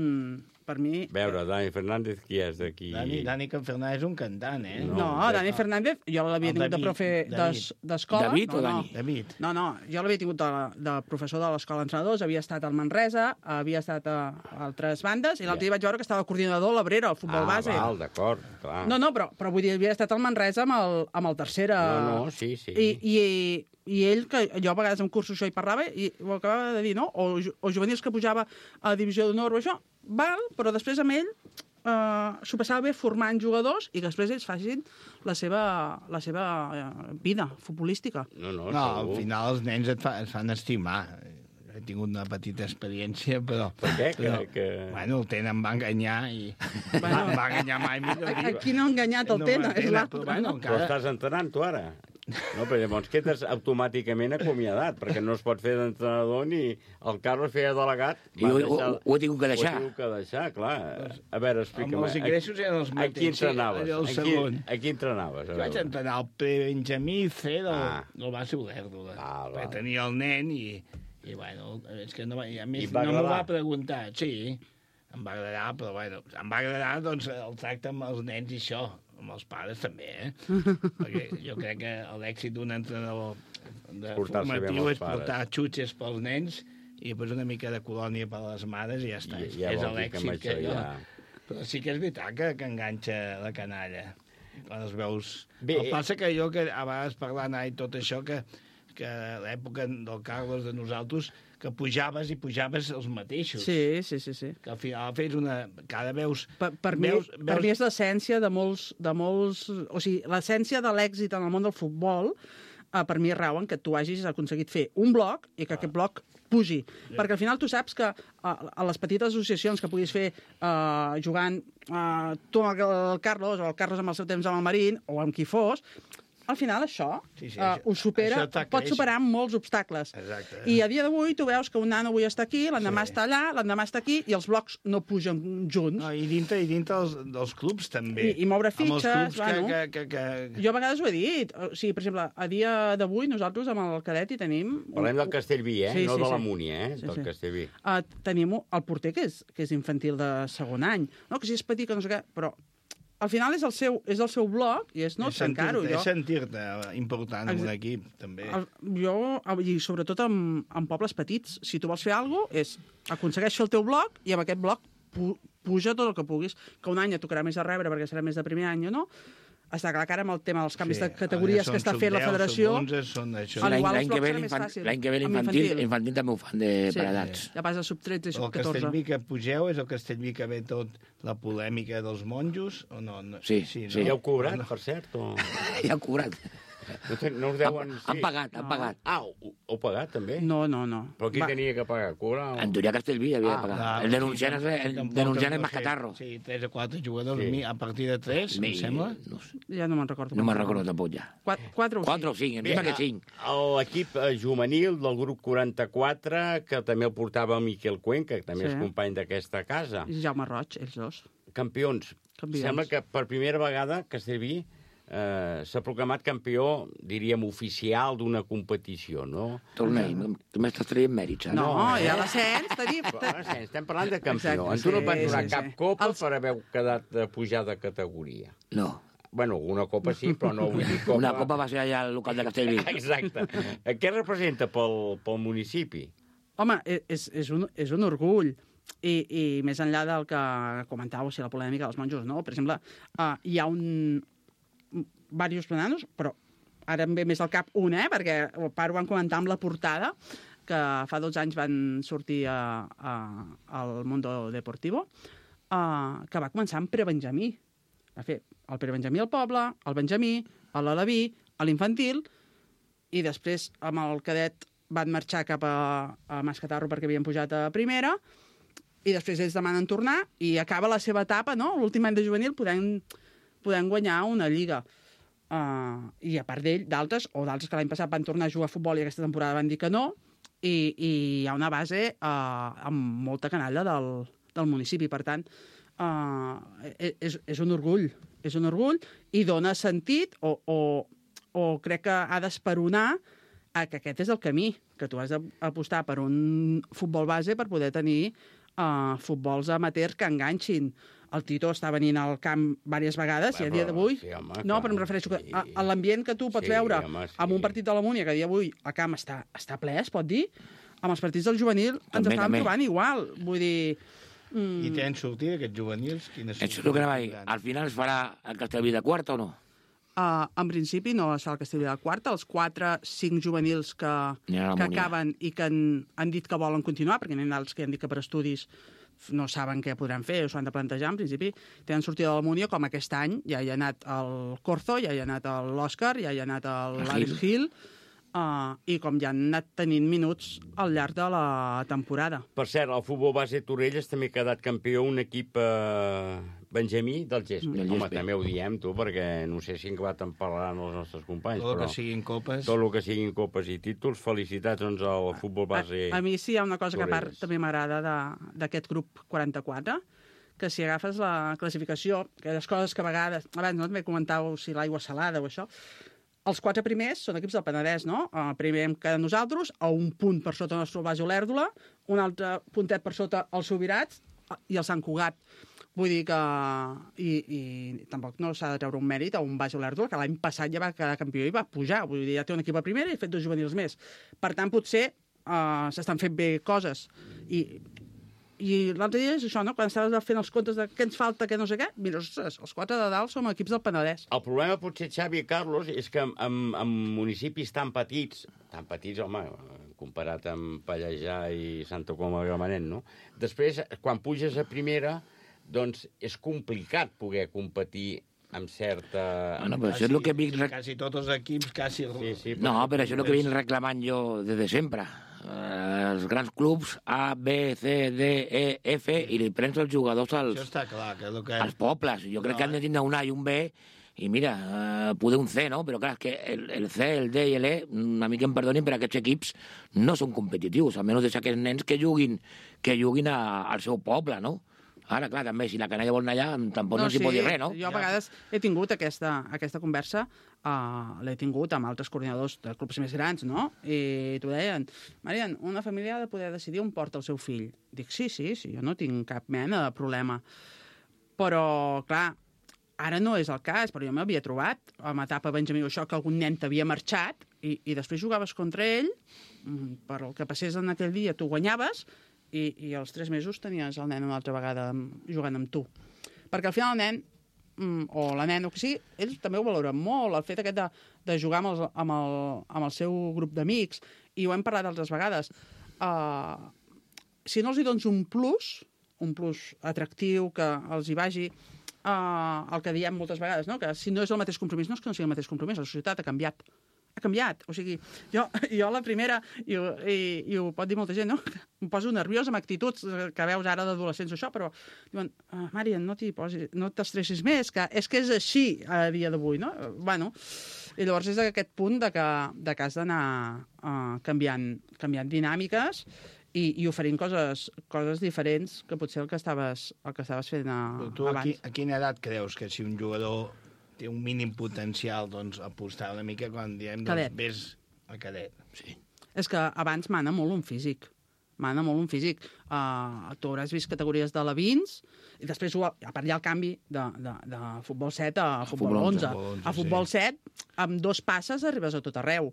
per mi... A veure, Dani Fernández, qui és d'aquí? Dani, Dani Fernández és un cantant, eh? No, no Dani Fernández, jo l'havia tingut de profe d'escola. David o no, Dani? No. David. No, no, jo l'havia tingut de, de professor de l'escola d'entrenadors, havia estat al Manresa, havia estat a altres bandes, i l'altre dia vaig veure que estava coordinador a l'Abrera, al futbol ah, base. Ah, val, d'acord, clar. No, no, però, però vull dir, havia estat al Manresa amb el, amb el tercera... No, no, sí, sí. I, i, i ell, que jo a vegades en cursos això hi parlava, i ho acabava de dir, no? O, o juvenils que pujava a divisió d'honor o això, val, però després amb ell eh, s'ho passava bé formant jugadors i que després ells facin la seva, la seva eh, vida futbolística. No, no, no al final els nens et, fa, et fan estimar. He tingut una petita experiència, però... Per què? Però, que, que... Bueno, el Tena em va enganyar i... Bueno, em va enganyar mai, millor dir. Aquí no ha enganyat el no Tena, és l'altre. Però, bueno, encara... però estàs entrenant, tu, ara? No, però llavors quedes automàticament acomiadat, perquè no es pot fer d'entrenador ni el Carlos feia delegat. I ho, deixar... ho, ho he tingut que deixar. Ho he tingut que deixar, clar. A veure, explica'm. Amb els ingressos eren els mateixos. A qui entrenaves? Sí, el segon. A qui entrenaves? Jo vaig entrenar el pre-Benjamí C del, ah. del base Olèrdola. Ah, perquè tenia el nen i... I, bueno, és que no, i a més no m'ho va preguntar. Sí, em va agradar, però, bueno, em va agradar, doncs, el tracte amb els nens i això, amb els pares també, eh? Perquè jo crec que l'èxit d'un entrenador de formatiu és portar xutxes pels nens i després una mica de colònia per a les mares i ja està. I, ja és l'èxit que, que jo... Ja... Però sí que és veritat que, que enganxa la canalla. Quan els veus... Bé, el passa que jo, que a vegades parlant i tot això, que... que a l'època del Carlos de nosaltres, que pujaves i pujaves els mateixos. Sí, sí, sí. sí. Que al final fes una... Cada veus... Per, per, veus, mi, veus... per mi és l'essència de molts, de molts... O sigui, l'essència de l'èxit en el món del futbol, eh, per mi rau en que tu hagis aconseguit fer un bloc i que ah. aquest bloc pugi. Sí. Perquè al final tu saps que a, a les petites associacions que puguis fer uh, jugant uh, tu amb el, el Carlos, o el Carlos amb el seu temps amb el Marín, o amb qui fos, al final això, sí, sí, uh, ho supera, pot superar molts obstacles. Exacte. I a dia d'avui tu veus que un nano avui està aquí, l'endemà sí. està allà, l'endemà està aquí, i els blocs no pugen junts. No, I dintre, i dintre dels, dels clubs també. I, i moure fitxes, amb els clubs bueno. Que, que, que, que... Jo a vegades ho he dit. O sigui, per exemple, a dia d'avui nosaltres amb el cadet hi tenim... Parlem del Castellví, eh? Sí, no sí, de la sí. Múnia, eh? Sí, del sí. Castellví. Uh, tenim el porter, que és, que és infantil de segon any. No, que si és petit, que no sé què, però... Al final és el seu, és el seu bloc i és no trencar-ho. És sentir-te important en un equip, també. El, jo, i sobretot en, en pobles petits, si tu vols fer alguna cosa, és aconsegueix fer el teu bloc i amb aquest bloc pu, puja tot el que puguis. Que un any et tocarà més a rebre perquè serà més de primer any o no. Està clar que ara amb el tema dels canvis sí, de categories que està fent la federació... L'any que ve l'infantil l'infantil també ho fan de sí, per edats. Ja passa sub tretze i sub catorze. El Castellví que pugeu és el Castellví que ve tot la polèmica dels monjos o no? no sí, sí, no? sí. Ja heu cobrat, no. per cert? O... Ja heu cobrat. No, te, no us deuen... Han, sí. han pagat, han no. pagat. Ah, ho, heu pagat, també? No, no, no. Però qui Va. tenia que pagar? Cobrar? O... En teoria Castellví havia ah, de pagar. La, el denunciant és, el denunciant és Mascatarro. Sí, tres o quatre jugadors, sí. a partir de tres, Mi, em sembla. No sé. Ja no me'n recordo. No me'n recordo tampoc, ja. Quatre, quatre o cinc. Quatre o cinc, em sembla que cinc. L'equip juvenil del grup quaranta-quatre, que també el portava Miquel Cuenca, que també sí. és company d'aquesta casa. I Jaume Roig, ells dos. Campions. Campions. Sembla que per primera vegada Castellví Eh, s'ha proclamat campió, diríem, oficial d'una competició, no? Tornei, tu m'estàs traient mèrits, eh? No, no eh? ja l'ascens tenim... L'ascens, estem parlant de campió. Exacte, en tu no et van donar sí, cap sí. copa Els... per haver quedat de pujar de categoria. No. Bueno, una copa sí, però no vull dir copa... Una copa va ser allà al local de Castellví. Exacte. Què representa pel, pel municipi? Home, és, és, un, és un orgull. I, i més enllà del que comentàveu, si la polèmica dels monjos, no? Per exemple, uh, hi ha un... diversos nanos, però ara em ve més al cap un, eh? Perquè el pare ho van comentar amb la portada, que fa dotze anys van sortir a, a, al Mundo Deportivo, uh, que va començar amb prebenjamí. Va fer el prebenjamí al poble, el benjamí, l'aleví, l'infantil, i després amb el cadet van marxar cap a, a Mascatarro perquè havien pujat a primera, i després ells demanen tornar, i acaba la seva etapa, no? L'últim any de juvenil podem, podem guanyar una lliga. Uh, I a part d'ell, d'altres, o d'altres que l'any passat van tornar a jugar a futbol i aquesta temporada van dir que no, i, i hi ha una base uh, amb molta canalla del, del municipi. Per tant, uh, és, és un orgull, és un orgull i dona sentit o, o, o crec que ha d'esperonar a que aquest és el camí, que tu has d'apostar per un futbol base per poder tenir uh, futbols amateurs que enganxin. El Tito està venint al camp diverses vegades i a dia d'avui... Sí, home, no, clar, però em refereixo sí. a, a l'ambient que tu pots Sí, veure home, sí. amb un partit de la Múnia, que a dia d'avui el camp està, està ple, es pot dir, amb els partits del juvenil ens També, estàvem també. trobant igual. Vull dir... Mm, I tenen sortida, aquests juvenils? Quines Això és el que anava a dir. Al final es farà el Castellví de quarta o no? Uh, en principi no es fa el Castellví de quarta. Els quatre, cinc juvenils que, N'hi ha a la que Múnia. acaben i que han, han dit que volen continuar, perquè n'hi ha d'altres que han dit que per estudis no saben què podran fer, o s'ho han de plantejar, en principi tenen sortida de la Múnia, com aquest any ja hi ha anat el Corzo, ja hi ha anat l'Òscar, ja hi ha anat l'Àlex Gil, uh, i com ja han anat tenint minuts al llarg de la temporada. Per cert, el futbol base Torrelles també ha quedat campió un equip eh, benjamí del Gespe. Del Home, Gespe. també ho diem, tu, perquè no sé si en acabat en parlaran els nostres companys. Tot el però que siguin copes. Tot el que siguin copes i títols. Felicitats, doncs, al futbol base A, a mi sí hi ha una cosa que a part Torrelles. també m'agrada de- d'aquest grup quaranta-quatre, que si agafes la classificació, que les coses que a vegades... Abans no també comentàveu si l'aigua salada o això. Els quatre primers són equips del Penedès, no? El primer hem quedat nosaltres, a un punt per sota el nostre Baix Olèrdola, un altre puntet per sota els Sobirats i el Sant Cugat. Vull dir que... I, i tampoc no s'ha de treure un mèrit a un Baix Olèrdola, que l'any passat ja va quedar campió i va pujar. Vull dir, ja té un equip a primera i ha fet dos juvenils més. Per tant, potser uh, s'estan fent bé coses. I, i l'altre dia és això, no? Quan estaves fent els comptes de què ens falta, què no sé què, mira, ostres, els quatre de dalt som equips del Penedès. El problema, potser, Xavi i Carlos, és que en, en, en municipis tan petits, tan petits, home, comparat amb Pallejà i Santa Coloma de Gramenet, no? Després, quan puges a primera, doncs és complicat poder competir amb certa... Bueno, però això és el que vinc... Quasi tots els equips, quasi... Sí, sí, No, però això és el que vinc reclamant jo des de sempre. Eh, els grans clubs A, B, C, D, E, F, i li prens els jugadors als, Això està clar, que és el que... als pobles. Jo crec No, que han de tindre un A i un B, i mira, eh, poder un C, no? Però clar, és que el, el C, el D i l'E, una mica em perdonin, però aquests equips no són competitius, almenys deixar aquests nens que juguin, que juguin a, al seu poble, no? Ara, clar, també, si la canalla vol anar allà, tampoc no, no s'hi sí, pot dir res, no? Jo a vegades he tingut aquesta, aquesta conversa, uh, l'he tingut amb altres coordinadors de clubs més grans, no? I t'ho deien, Marian, una família ha de poder decidir on porta el seu fill. Dic, sí, sí, sí, jo no tinc cap mena de problema. Però, clar, ara no és el cas, però jo m'havia trobat amb etapa Benjamí o això, que algun nen t'havia marxat i, i després jugaves contra ell, per el que passés en aquell dia tu guanyaves, i, i als tres mesos tenies el nen una altra vegada jugant amb tu. Perquè al final el nen, o la nena, o que sigui, ells també ho valoren molt, el fet aquest de, de jugar amb el, amb, el, amb el seu grup d'amics, i ho hem parlat altres vegades. Uh, si no els hi dones un plus, un plus atractiu, que els hi vagi, uh, el que diem moltes vegades, no? Que si no és el mateix compromís, no és que no sigui el mateix compromís, la societat ha canviat. Ha canviat. O sigui, jo, jo la primera, i, i, i ho pot dir molta gent, no? Em poso nerviós amb actituds que veus ara d'adolescents o això, però diuen, ah, Marian, no t'hi posis, no t'estressis més, que és que és així a dia d'avui, no? Bueno, i llavors és aquest punt de que, de que has d'anar uh, canviant, canviant dinàmiques i, i oferint coses, coses diferents que potser el que estaves, el que estaves fent a, Però tu, a, abans. qui, a quina edat creus que si un jugador té un mínim potencial, doncs, apostar una mica quan diem, doncs, Cadet. vés a cadet? Sí. És que abans mana molt un físic. Mana molt un físic. Uh, tu hauràs vist categories de Levins, i després, ho, a part hi ha el canvi de, de, de futbol set a futbol, futbol onze. onze, A futbol sí. set, amb dos passes arribes a tot arreu.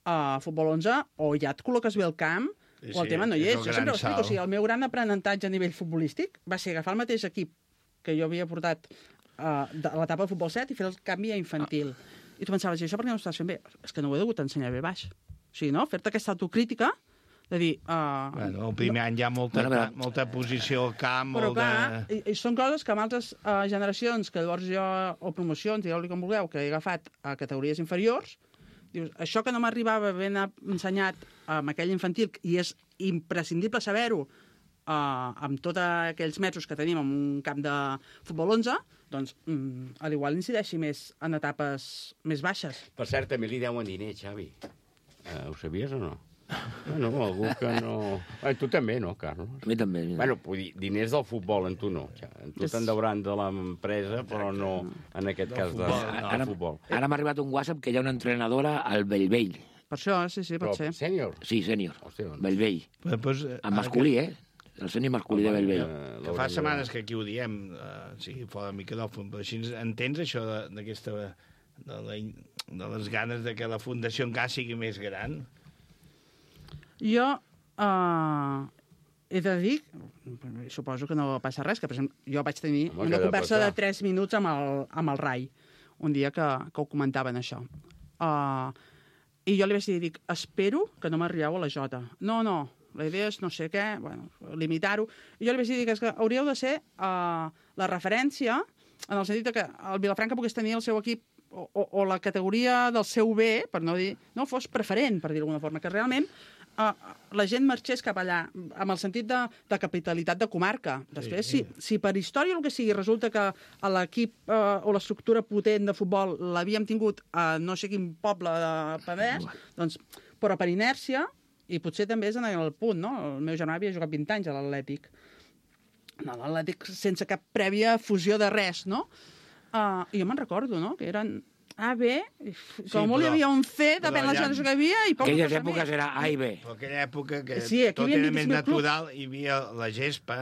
A futbol onze, o ja et col·loques bé al camp, Sí, o el sí, tema no hi és és. el Jo sempre gran ho explico. salt. O sigui, el meu gran aprenentatge a nivell futbolístic va ser agafar el mateix equip que jo havia portat uh, de l'etapa de futbol set i fer el canvi a infantil. Ah. I tu pensaves, i això per què no ho estàs fent bé? És que no ho he degut ensenyar bé baix. O sigui, no? Fer-te aquesta autocrítica de dir... Uh, Bueno, el primer any hi ha molta, Bueno, però- molta posició al camp, Però molt clar, de... i, i són coses que amb altres uh, generacions, que llavors jo, o promocions, digueu-li com vulgueu, que he agafat a categories inferiors, dius, això que no m'arribava ben ensenyat amb aquell infantil, i és imprescindible saber-ho uh, amb tots aquells metres que tenim en un camp de futbol onze, doncs mm, a l'igual incideixi més en etapes més baixes. Per cert, també li deuen diners, Xavi. Uh, ho sabies o no? Bueno, algú que no... Eh, tu també, no, Carlos? A mi també. Mira. Bueno, vull dir, diners del futbol, en tu no. En tu te'n deuran de l'empresa, però no en aquest cas de, futbol, del Ara, futbol. ara m'ha arribat un WhatsApp que hi ha una entrenadora al Bellvei. Per això, sí, sí, pot Però ser. sènior? Sí, sènior. Hòstia, doncs. Bellvei. Però, doncs, En masculí, eh? el sènior masculí de Bellvei. Que fa setmanes que aquí ho diem, sí, fora de micròfon, però així entens això d'aquesta... de les ganes de que la fundació encara sigui més gran? Jo he de dir, suposo que no passa res, que per exemple, jo vaig tenir Home, una conversa passar. de tres minuts amb el, amb el Rai, un dia que, que ho comentaven, això. Uh, I jo li vaig dir, dic, espero que no m'arrieu a la Jota. No, no, la idea és no sé què, bueno, limitar-ho. I jo li vaig dir que, que hauríeu de ser uh, la referència, en el sentit que el Vilafranca pogués tenir el seu equip o, o, o la categoria del seu bé, per no dir, no fos preferent, per dir d'alguna forma, que realment Uh, la gent marxés cap allà, amb el sentit de, de capitalitat de comarca. Després, sí, sí. Si, si per història o el que sigui resulta que a l'equip uh, o l'estructura potent de futbol l'havíem tingut a no sé quin poble de Penedès, doncs, però per inèrcia, i potser també és en el punt, no? El meu germà havia jugat vint anys a l'Atlètic. No, l'Atlètic sense cap prèvia fusió de res, no? Uh, I jo me'n recordo, no?, que eren A, B, com molt hi havia un C, depèn de la generació que hi havia, i poca cosa més. Aquelles èpoques era A i B. Però aquella època que sí, tot era més natural, hi havia la gespa,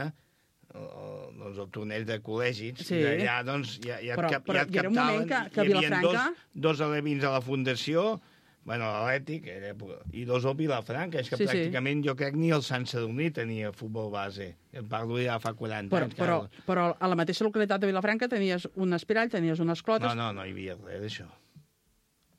doncs el torneig de col·legis, sí. I allà doncs ja, ja, però, ja, però ja et captaven, que, que hi havia Vilafranca... dos, dos alevins a la fundació, bueno, l'Atlètic, i dos al Vilafranca. És que sí, pràcticament sí. Jo crec ni el Sant Sadurní tenia futbol base. En parlo ja fa quaranta però, anys. Però, però a la mateixa localitat de Vilafranca tenies un espirall, tenies unes clotes... No, no, no hi havia res d'això.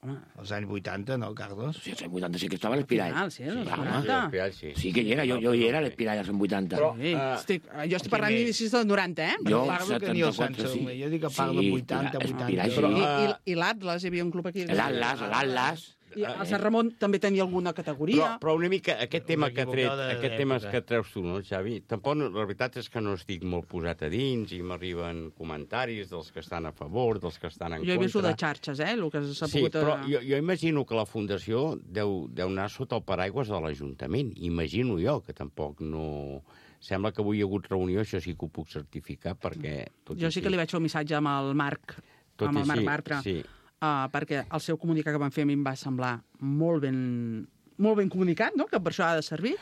Home. Els anys vuitanta, no, Carlos? Sí, els anys vuitanta sí que estava l'Espirall. Final, sí, els vuitanta. Sí, sí que hi era, jo, jo hi era l'Espirall als anys vuitanta. Però, uh, estic, jo estic parlant d'inicis del noranta, eh? Jo, parlo que ni el Sant Sadurní. Jo dic que parlo de vuitanta, vuitanta. Però, I, i, i l'Atlas, hi havia un club aquí. L'Atlas, l'Atlas. I el Sant Ramon també tenia alguna categoria. Però, però una mica, aquest tema que tret, aquest tema que treus tu, no, Xavi? Tampoc, la veritat és que no estic molt posat a dins i m'arriben comentaris dels que estan a favor, dels que estan en jo contra. Jo he vist de xarxes, eh, el que s'ha sí, pogut... Sí, però jo, jo imagino que la Fundació deu, deu anar sota el paraigües de l'Ajuntament. Imagino jo, que tampoc no... Sembla que avui hi ha hagut reunió, això sí que ho puc certificar, perquè... Tot jo sí que li vaig fer un missatge amb el Marc, tot amb el Marc Bartra. Sí. Uh, perquè el seu comunicat que van fer a mi em va semblar molt ben, molt ben comunicat, no?, que per això ha de servir,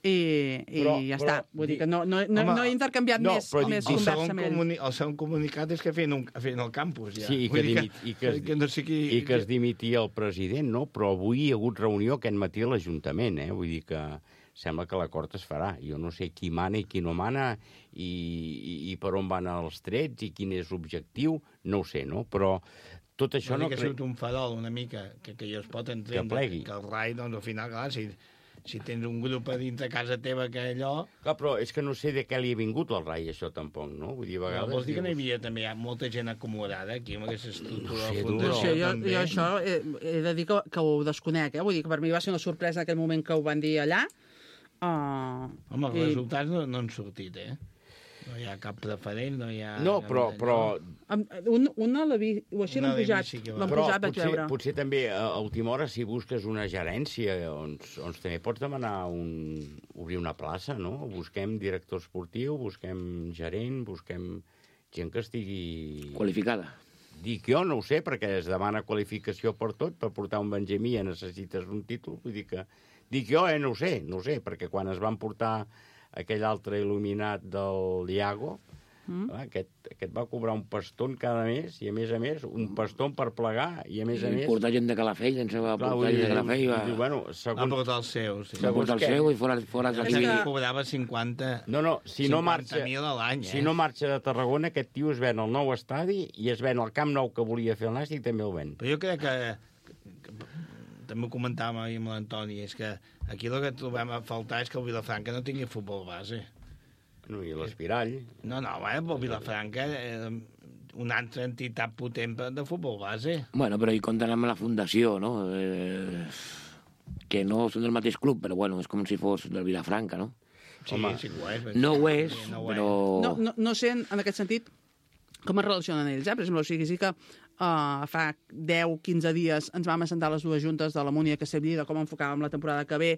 i, i però, ja però, està. Vull dir que no, no, no, home, no he intercanviat no, més, però, més el conversa amb ell. Comuni el segon comunicat és que feien, un, feien el campus, ja. Sí, i que, dimit, que, i que, es, que, no sé qui... i que es dimitia el president, no? Però avui hi ha hagut reunió aquest matí a l'Ajuntament, eh? Vull dir que sembla que l'acord es farà. Jo no sé qui mana i qui no mana, i, i, i per on van els trets, i quin és l'objectiu, no ho sé, no? Però tot això no... que ha sigut un farol una mica, que, que jo es pot entendre, que, que el Rai, doncs, al final, clar, si, si tens un grup a dintre casa teva que allò... Clar, però és que no sé de què li ha vingut al Rai, això, tampoc, no? Vull dir, a vegades... No, vols dir que no hi havia també hi ha molta gent acomodada aquí, amb aquesta estructura no sé, de fundació? Sí, jo, jo això he, he de dir que, que ho desconec, eh? Vull dir que per mi va ser una sorpresa en aquell moment que ho van dir allà. Uh, Home, els i... resultats no, no han sortit, eh? No hi ha cap preferent, no hi ha... No, però... però... Un, una l'ha vist, o així l'han pujat, sí l'han pujat, vaig potser, veure. Potser també a última hora, si busques una gerència, doncs, doncs també pots demanar un, obrir una plaça, no? Busquem director esportiu, busquem gerent, busquem gent que estigui... Qualificada. Dic jo, no ho sé, perquè es demana qualificació per tot, per portar un benjamí ja necessites un títol, vull dir que... Dic jo, eh, no ho sé, no ho sé, perquè quan es van portar aquell altre il·luminat del Iago, mm. clar, aquest, aquest va cobrar un paston cada mes, i a més a més, un paston per plegar, i a més a més... Portar gent de Calafell, ens va portar gent de Calafell. Va, i, bueno, segons... va portar el seu, sí. Va portar el seu i fora, fora de aquí. Que cobrava cinquanta... No, no, si no marxa... cinquanta mil a l'any, eh? Si no marxa de Tarragona, aquest tio es ven al nou estadi i es ven al Camp Nou que volia fer el Nàstic, també el ven. Però jo crec que... que també ho comentàvem ahir amb l'Antoni, és que aquí el que trobem a faltar és que el Vilafranca no tingui futbol base. No, i l'Espirall. No, no, bueno, però el Vilafranca eh, una altra entitat potent de futbol base. Bueno, però hi compten amb la fundació, no? Eh, que no són del mateix club, però bueno, és com si fos del Vilafranca, no? Sí, home, sí ho és. No ho és, no ho però... No, no, no sé, en aquest sentit, com es relacionen ells, eh? Per exemple, o sigui, sí que uh, fa deu quinze dies ens vam assentar les dues juntes de la Múnia que Castellví, de com enfocàvem la temporada que ve,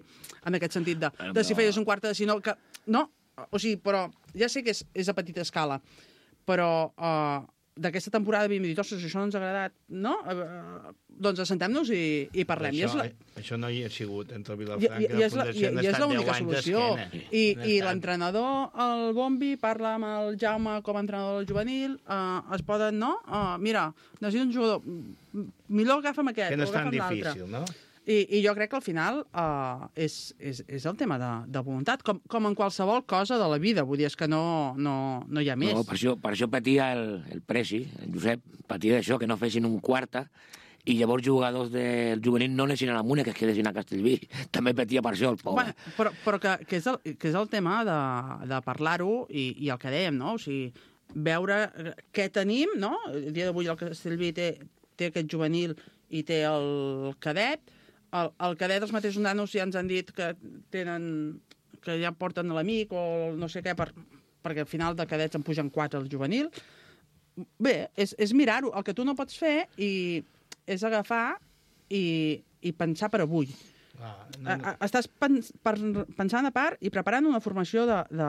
en aquest sentit de, de si feies un quart de si no... Que, no, o sigui, però ja sé que és, és a petita escala, però uh, d'aquesta temporada havíem dit, ostres, això no ens ha agradat, no? Eh, doncs assentem-nos i, i parlem. Això, I és la... això no hi ha sigut entre I, Vilafranca i, i, i, és la, i, i és l'única deu anys solució. d'esquena. I, i l'entrenador, el Bombi, parla amb el Jaume com a entrenador del juvenil, uh, es poden, no? Uh, mira, necessito un jugador, millor agafa'm aquest, que no o és tan agafa'm l'altre. difícil, no? I, I jo crec que al final uh, és, és, és el tema de, de voluntat, com, com en qualsevol cosa de la vida. Vull dir, és que no, no, no hi ha més. No, per això, per això patia el, el Presi, el Josep, patia d'això, que no fessin un quarta, i llavors jugadors del juvenil no anessin a la Múnia, que es quedessin a Castellví. També patia per això, el pobre. Bueno, però però que, que, és el, que és el tema de, de parlar-ho i, i el que dèiem, no? O sigui, veure què tenim, no? El dia d'avui el Castellví té, té aquest juvenil i té el cadet. El, el cadet, els mateixos nanos ja ens han dit que tenen que ja porten l'amic o no sé què, per, perquè al final de cadets en pugen quatre al juvenil. Bé, és, és mirar-ho. El que tu no pots fer i és agafar i, i pensar per avui. Ah, no, no. Estàs pens, per, pensant a part i preparant una formació de, de,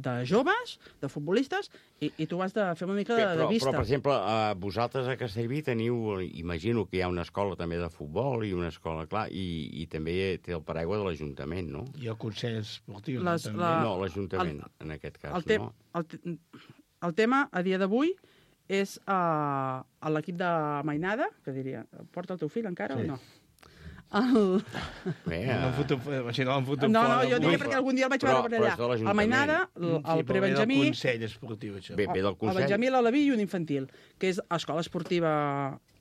de joves, de futbolistes, i, i tu has de fer una mica de, però, de vista. Però, per exemple, eh, vosaltres a Castellví teniu, imagino que hi ha una escola també de futbol i una escola, clar, i, i també té el paraigua de l'Ajuntament, no? I el Consell Esportiu, Les, no? la, no, l'Ajuntament, en aquest cas, el te, no? El, te, el tema, a dia d'avui, és uh, l'equip de Mainada, que diria, porta el teu fill encara sí. o no? El... Bé, no, foto, si no, no, no, jo diria perquè algun dia el vaig veure per allà. El Mainada, el, el sí, prebenjamí... Ve del Consell Esportiu, això. Bé, ve del Consell. El Benjamí, l'Alaví i un infantil, que és escola esportiva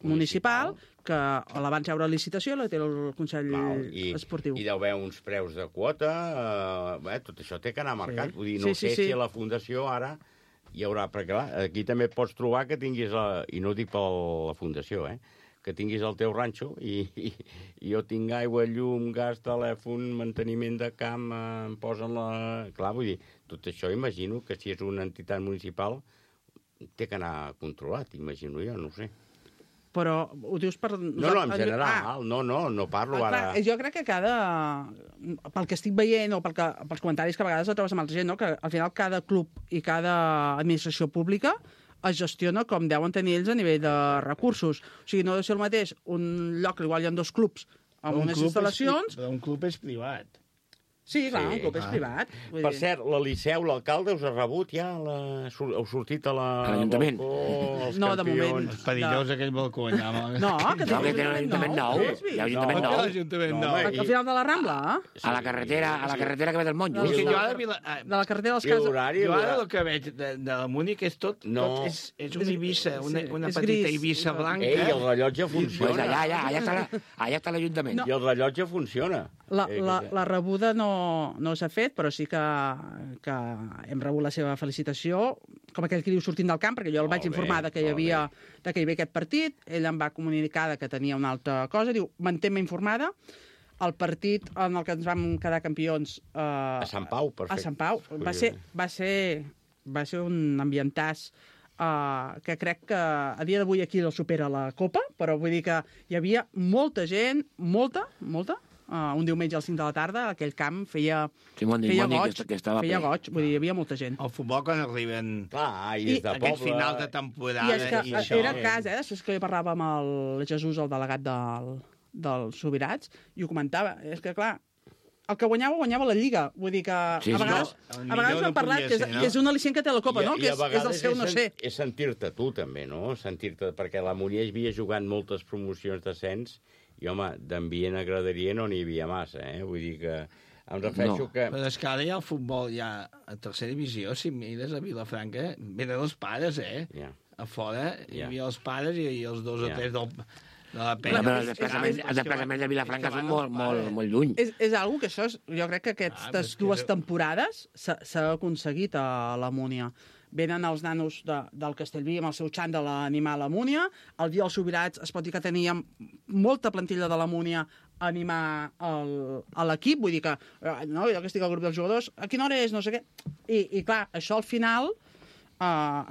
municipal, que la van treure a licitació, la té el Consell Val, i, Esportiu. I deu haver uns preus de quota, eh, bé, tot això té que anar marcat. Sí. Vull dir, no sí, sé sí, sí. si a la Fundació ara hi haurà... Perquè clar, aquí també pots trobar que tinguis, la, i no ho dic per la Fundació, eh, que tinguis el teu ranxo i, i, i jo tinc aigua, llum, gas, telèfon, manteniment de camp, eh, em posen la... Clar, vull dir, tot això imagino que si és una entitat municipal té que anar controlat, imagino jo, no ho sé. Però ho dius per... No, no, en general, ah, no, no, no parlo ah, ara... Clar, jo crec que cada... Pel que estic veient o pel que, pels comentaris que a vegades trobes amb altra gent, no? Que al final cada club i cada administració pública es gestiona com deuen tenir ells a nivell de recursos. O sigui, no deu ser el mateix un lloc que igual hi ha dos clubs amb un unes instal·lacions... És, un club és privat. Sí, clar, sí, un club clar. és privat. Per cert, la Liceu, l'alcalde, us ha rebut ja? La... Heu sortit a la... A l'Ajuntament? Els no, de moment... Els perillós, no. Aquell balcó allà. No, que té l'Ajuntament nou. Hi ha l'Ajuntament nou. l'Ajuntament nou. Al final de la Rambla, eh? A la carretera, a la carretera que ve del Monjo. De la carretera dels Cases... Jo ara el que veig de, de la Múnich és tot, tot és, és una Eivissa, una, una petita Eivissa blanca. Ei, el rellotge funciona. Pues allà, allà, allà està la, allà està l'Ajuntament. I el rellotge funciona. La, la, la rebuda no, no s'ha fet, però sí que, que hem rebut la seva felicitació, com aquell que diu sortint del camp, perquè jo el vaig bé, informar de que hi havia de que hi havia aquest partit, ell em va comunicar que tenia una altra cosa, diu, mantén-me informada, el partit en el que ens vam quedar campions... Eh, a Sant Pau, perfecte. A Sant Pau. Va ser, va ser, va ser un ambientàs uh, que crec que a dia d'avui aquí el supera la Copa, però vull dir que hi havia molta gent, molta, molta, Uh, un diumenge al cinc de la tarda, aquell camp feia, sí, bon feia bon goig, que, que estava feia goig, vull dir, hi havia molta gent. El futbol quan arriben clar, i des de aquests poble... finals de temporada... I és que i això, era cas, eh? Després que jo parlava amb el Jesús, el delegat del, dels Sobirats, i ho comentava, és que clar, el que guanyava, guanyava la Lliga. Vull dir que sí, a vegades, no, a vegades no hem parlat que és, no? que és un al·licient que té la Copa, I, no? Que és, és el seu no sé. És sentir-te tu, també, no? Sentir-te, perquè la Múnia havia jugat moltes promocions d'ascens i, home, d'ambient agradaria no n'hi havia massa, eh? Vull dir que em refereixo no. que... Però és que ara ja el futbol ja a tercera divisió, si mires a Vilafranca, venen els pares, eh? Ja. A fora hi ja. havia els pares i, i els dos ja. o tres del... de la penya. Però els desplaçaments, els desplaçaments de Vilafranca són molt, molt, molt lluny. És, és algo que això, és, jo crec que aquestes ah, dues que... temporades s'ha aconseguit a la Múnia. Venen els nanos de, del Castellví amb el seu xandall a animar la Múnia. El dia dels Sobirats es pot dir que teníem molta plantilla de la Múnia a animar el, a l'equip. Vull dir que, no, jo que estic al grup dels jugadors, a quina hora és, no sé què. I, i clar, això al final... Uh,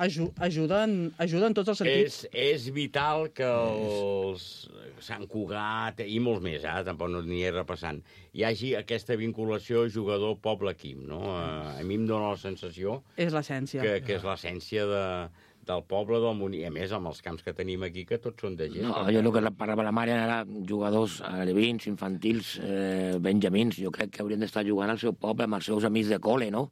ajuda, en, ajuda en tots els sentits. És, és vital que els Sant Cugat i molts més, eh, tampoc no n'hi he repassant, hi hagi aquesta vinculació jugador-poble-equip, no? Uh, a mi em dóna la sensació... És l'essència. Que, que és l'essència de, del poble del Munic. A més, amb els camps que tenim aquí, que tots són de gent. No, jo el que parlava la Mària era jugadors alevins, infantils, eh, benjamins. Jo crec que haurien d'estar jugant al seu poble, amb els seus amics de col·le, no?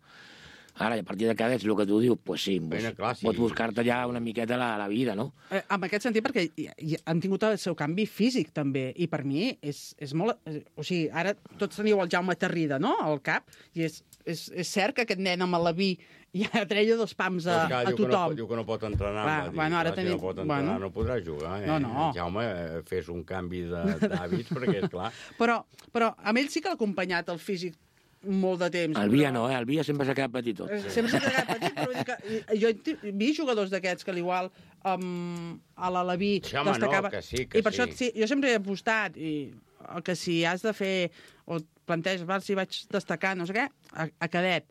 Ara, a partir de cada és el que tu dius, pues sí, Bueno, clar, sí. pots buscar-te ja una miqueta la, la vida, no? Eh, en aquest sentit, perquè hi- hi- han tingut el seu canvi físic, també, i per mi és, és molt... eh, O sigui, ara tots teniu el Jaume Terrida, no?, al cap, i és, és, és cert que aquest nen amb l'Alaví ja treia dos pams a, Però, clar, a diu que no, tothom. pot- diu que no pot entrenar. Clar, va dir, bueno, ara clar, si tenim- no pot entrenar, bueno. no podrà jugar. Eh? No, no. Jaume, eh, fes un canvi de- d'hàbits, perquè, és clar... Però, però amb ell sí que l'ha acompanyat el físic molt de temps. El Via no, eh? El Via sempre s'ha quedat petitot. Eh, Sempre s'ha quedat petit, però vull dir que i- jo he vist jugadors d'aquests que l'igual um, a l'Alaví Sí, home, no, destacava. que sí, que I per sí. això sí, jo sempre he apostat i el que si has de fer o et planteges, val, si vaig destacar, no sé què, a, a cadet.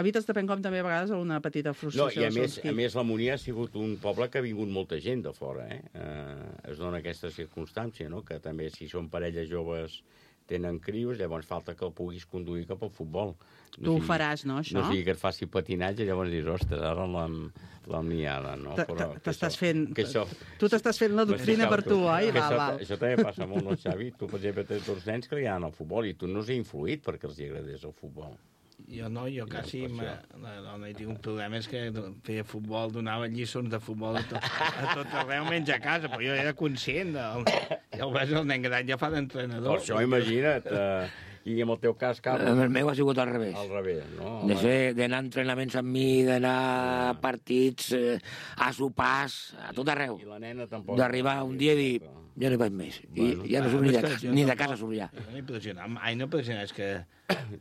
Evites de prendre com també a vegades una petita No, frustració. i a del més, segons a qui. més la Munic ha sigut un poble que ha vingut molta gent de fora, eh? eh es dona aquesta circumstància, no?, que també si són parelles joves tenen crios, llavors falta que el puguis conduir cap al futbol. Tu ho faràs, no, això? No sigui que et faci patinatge, llavors dius, ostres, ara l'hem l'hem liada, no? T- Però t- que T'estàs això- fent... que això- Tu t'estàs fent la doctrina per tu, oi? Que Val, això, val. això també passa molt, no, Xavi? Tu, per exemple, tens dos nens que li agraden el futbol i tu no us he influït perquè els hi agradés el futbol. Jo no, jo quasi... per Ma, la dona hi tinc un problema, és que feia futbol, donava lliçons de futbol a tot, a tot arreu, menys a casa, però jo era conscient del... Ja ho veus, el nen gran ja fa d'entrenador. Per això, imagina't, eh, i en el teu cas, Carles... El meu ha sigut al revés. Al revés, no? De ser, d'anar a entrenaments amb mi, d'anar a partits, eh, a sopars, a tot arreu. I la nena tampoc... D'arribar un dia i dir, ja no hi vaig més. I Bueno, ja no Ah, surt ni és de, que casa, jo ni de tampoc- casa surt ja. Jo no he pressionat mai, no he pressionat, és que...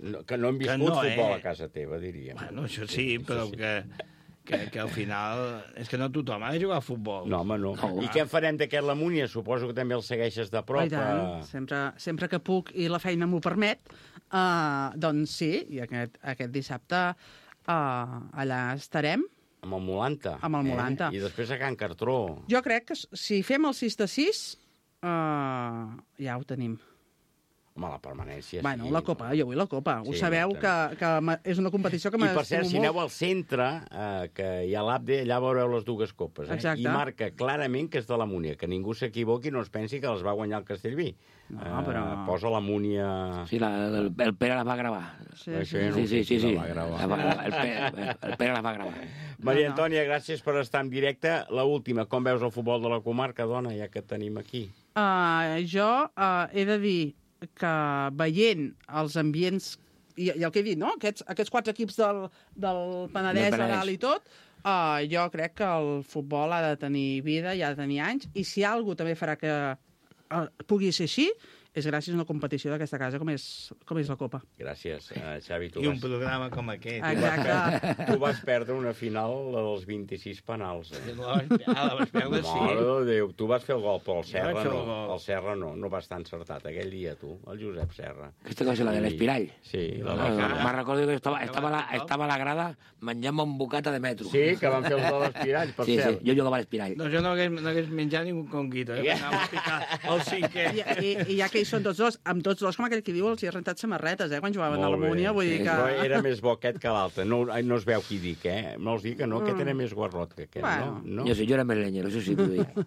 No, que no hem viscut Que no, futbol eh? a casa teva, diríem. Bueno, això sí, però sí. que, que, que al final... És que no tothom ha de jugar a futbol. No, home, no. I què en farem d'aquest la Múnia? Suposo que també el segueixes de prop. Oh, i tant. eh? Sempre, sempre que puc i la feina m'ho permet, uh, doncs sí, i aquest, aquest dissabte uh, allà estarem. Amb el Molanta. Amb el Molanta. Eh? I després a Can Cartró. Jo crec que si fem el sis de sis, uh, ja ho tenim. Home, la permanència... Bueno, sí, la Copa, jo vull la Copa. Ho Sí, sabeu no, que, que ma- és una competició que I per cert, m'estimo si aneu molt. al centre, eh, que hi ha l'A B D, allà veureu les dues copes. Eh? Exacte. I marca clarament que és de la Múnia, que ningú s'equivoqui i no es pensi que les va guanyar el Castellví. No, Eh, però... Posa la Múnia... Sí, la, el, el Pere la va gravar. Sí, Això sí. ja no Sí, ho sé sí, sí, qui sí. la va gravar. La va- el, Pere, el Pere la va gravar. Maria No, no. Antònia, gràcies per estar en directe. La última, com veus el futbol de la comarca, dona, ja que et tenim aquí? Uh, jo uh, he de dir que veient els ambients, i, i el que he dit, no? aquests, aquests quatre equips del, del Penedès, Del Penedès. Aral i tot, uh, jo crec que el futbol ha de tenir vida i ha de tenir anys, i si alguna cosa també farà que uh, pugui ser així, és gràcies a una competició d'aquesta casa com és, com és la Copa. Gràcies, uh, Xavi. Tu I un vas, programa com aquest. Exacte. tu vas perdre una final dels vint-i-sis penals. Eh? La vas, ah, la vas perdre, sí. Mare de Déu, tu vas fer el gol, però el Jo Serra vaig fer el no. gol. El Serra no, no va estar encertat aquell dia, tu, el Josep Serra. Aquesta cosa, la de l'espirall. Sí, la Ah, va me'n recordo que estava, estava, a la, estava a la grada menjant un bocata de metro. Sí, que van fer els de l'espirall, per Sí, sí, cert. jo jugava a l'espirall. No, jo no hagués, no hagués menjat ni un conguito, eh? Anava a picar el cinquè. I, i, I ja que hi són tots dos, amb tots dos, com aquell que diu, els hi ha rentat samarretes, eh, quan jugaven a Molt la bé. Múnia, vull dir que... Però era més bo aquest que l'altre. No, no es veu qui dic, eh? No us dic que no, aquest era més guarrot que aquest, Bueno. no? no? Jo sí, jo era més lenyero, això sí t'ho dic.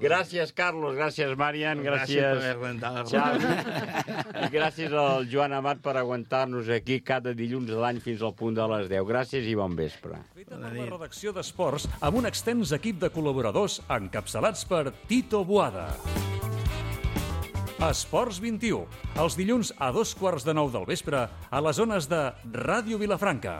Gràcies, Carlos, gràcies, Marian, Gràcies per gràcies, haver rentat la Xavi. I gràcies al Joan Amat per aguantar-nos aquí cada dilluns de l'any fins al punt de les deu. Gràcies i bon vespre. Feta per la redacció d'Esports amb un extens equip de col·laboradors encapçalats per Tito Boada. Esports vint-i-u, els dilluns a dos quarts de nou del vespre a les zones de Ràdio Vilafranca.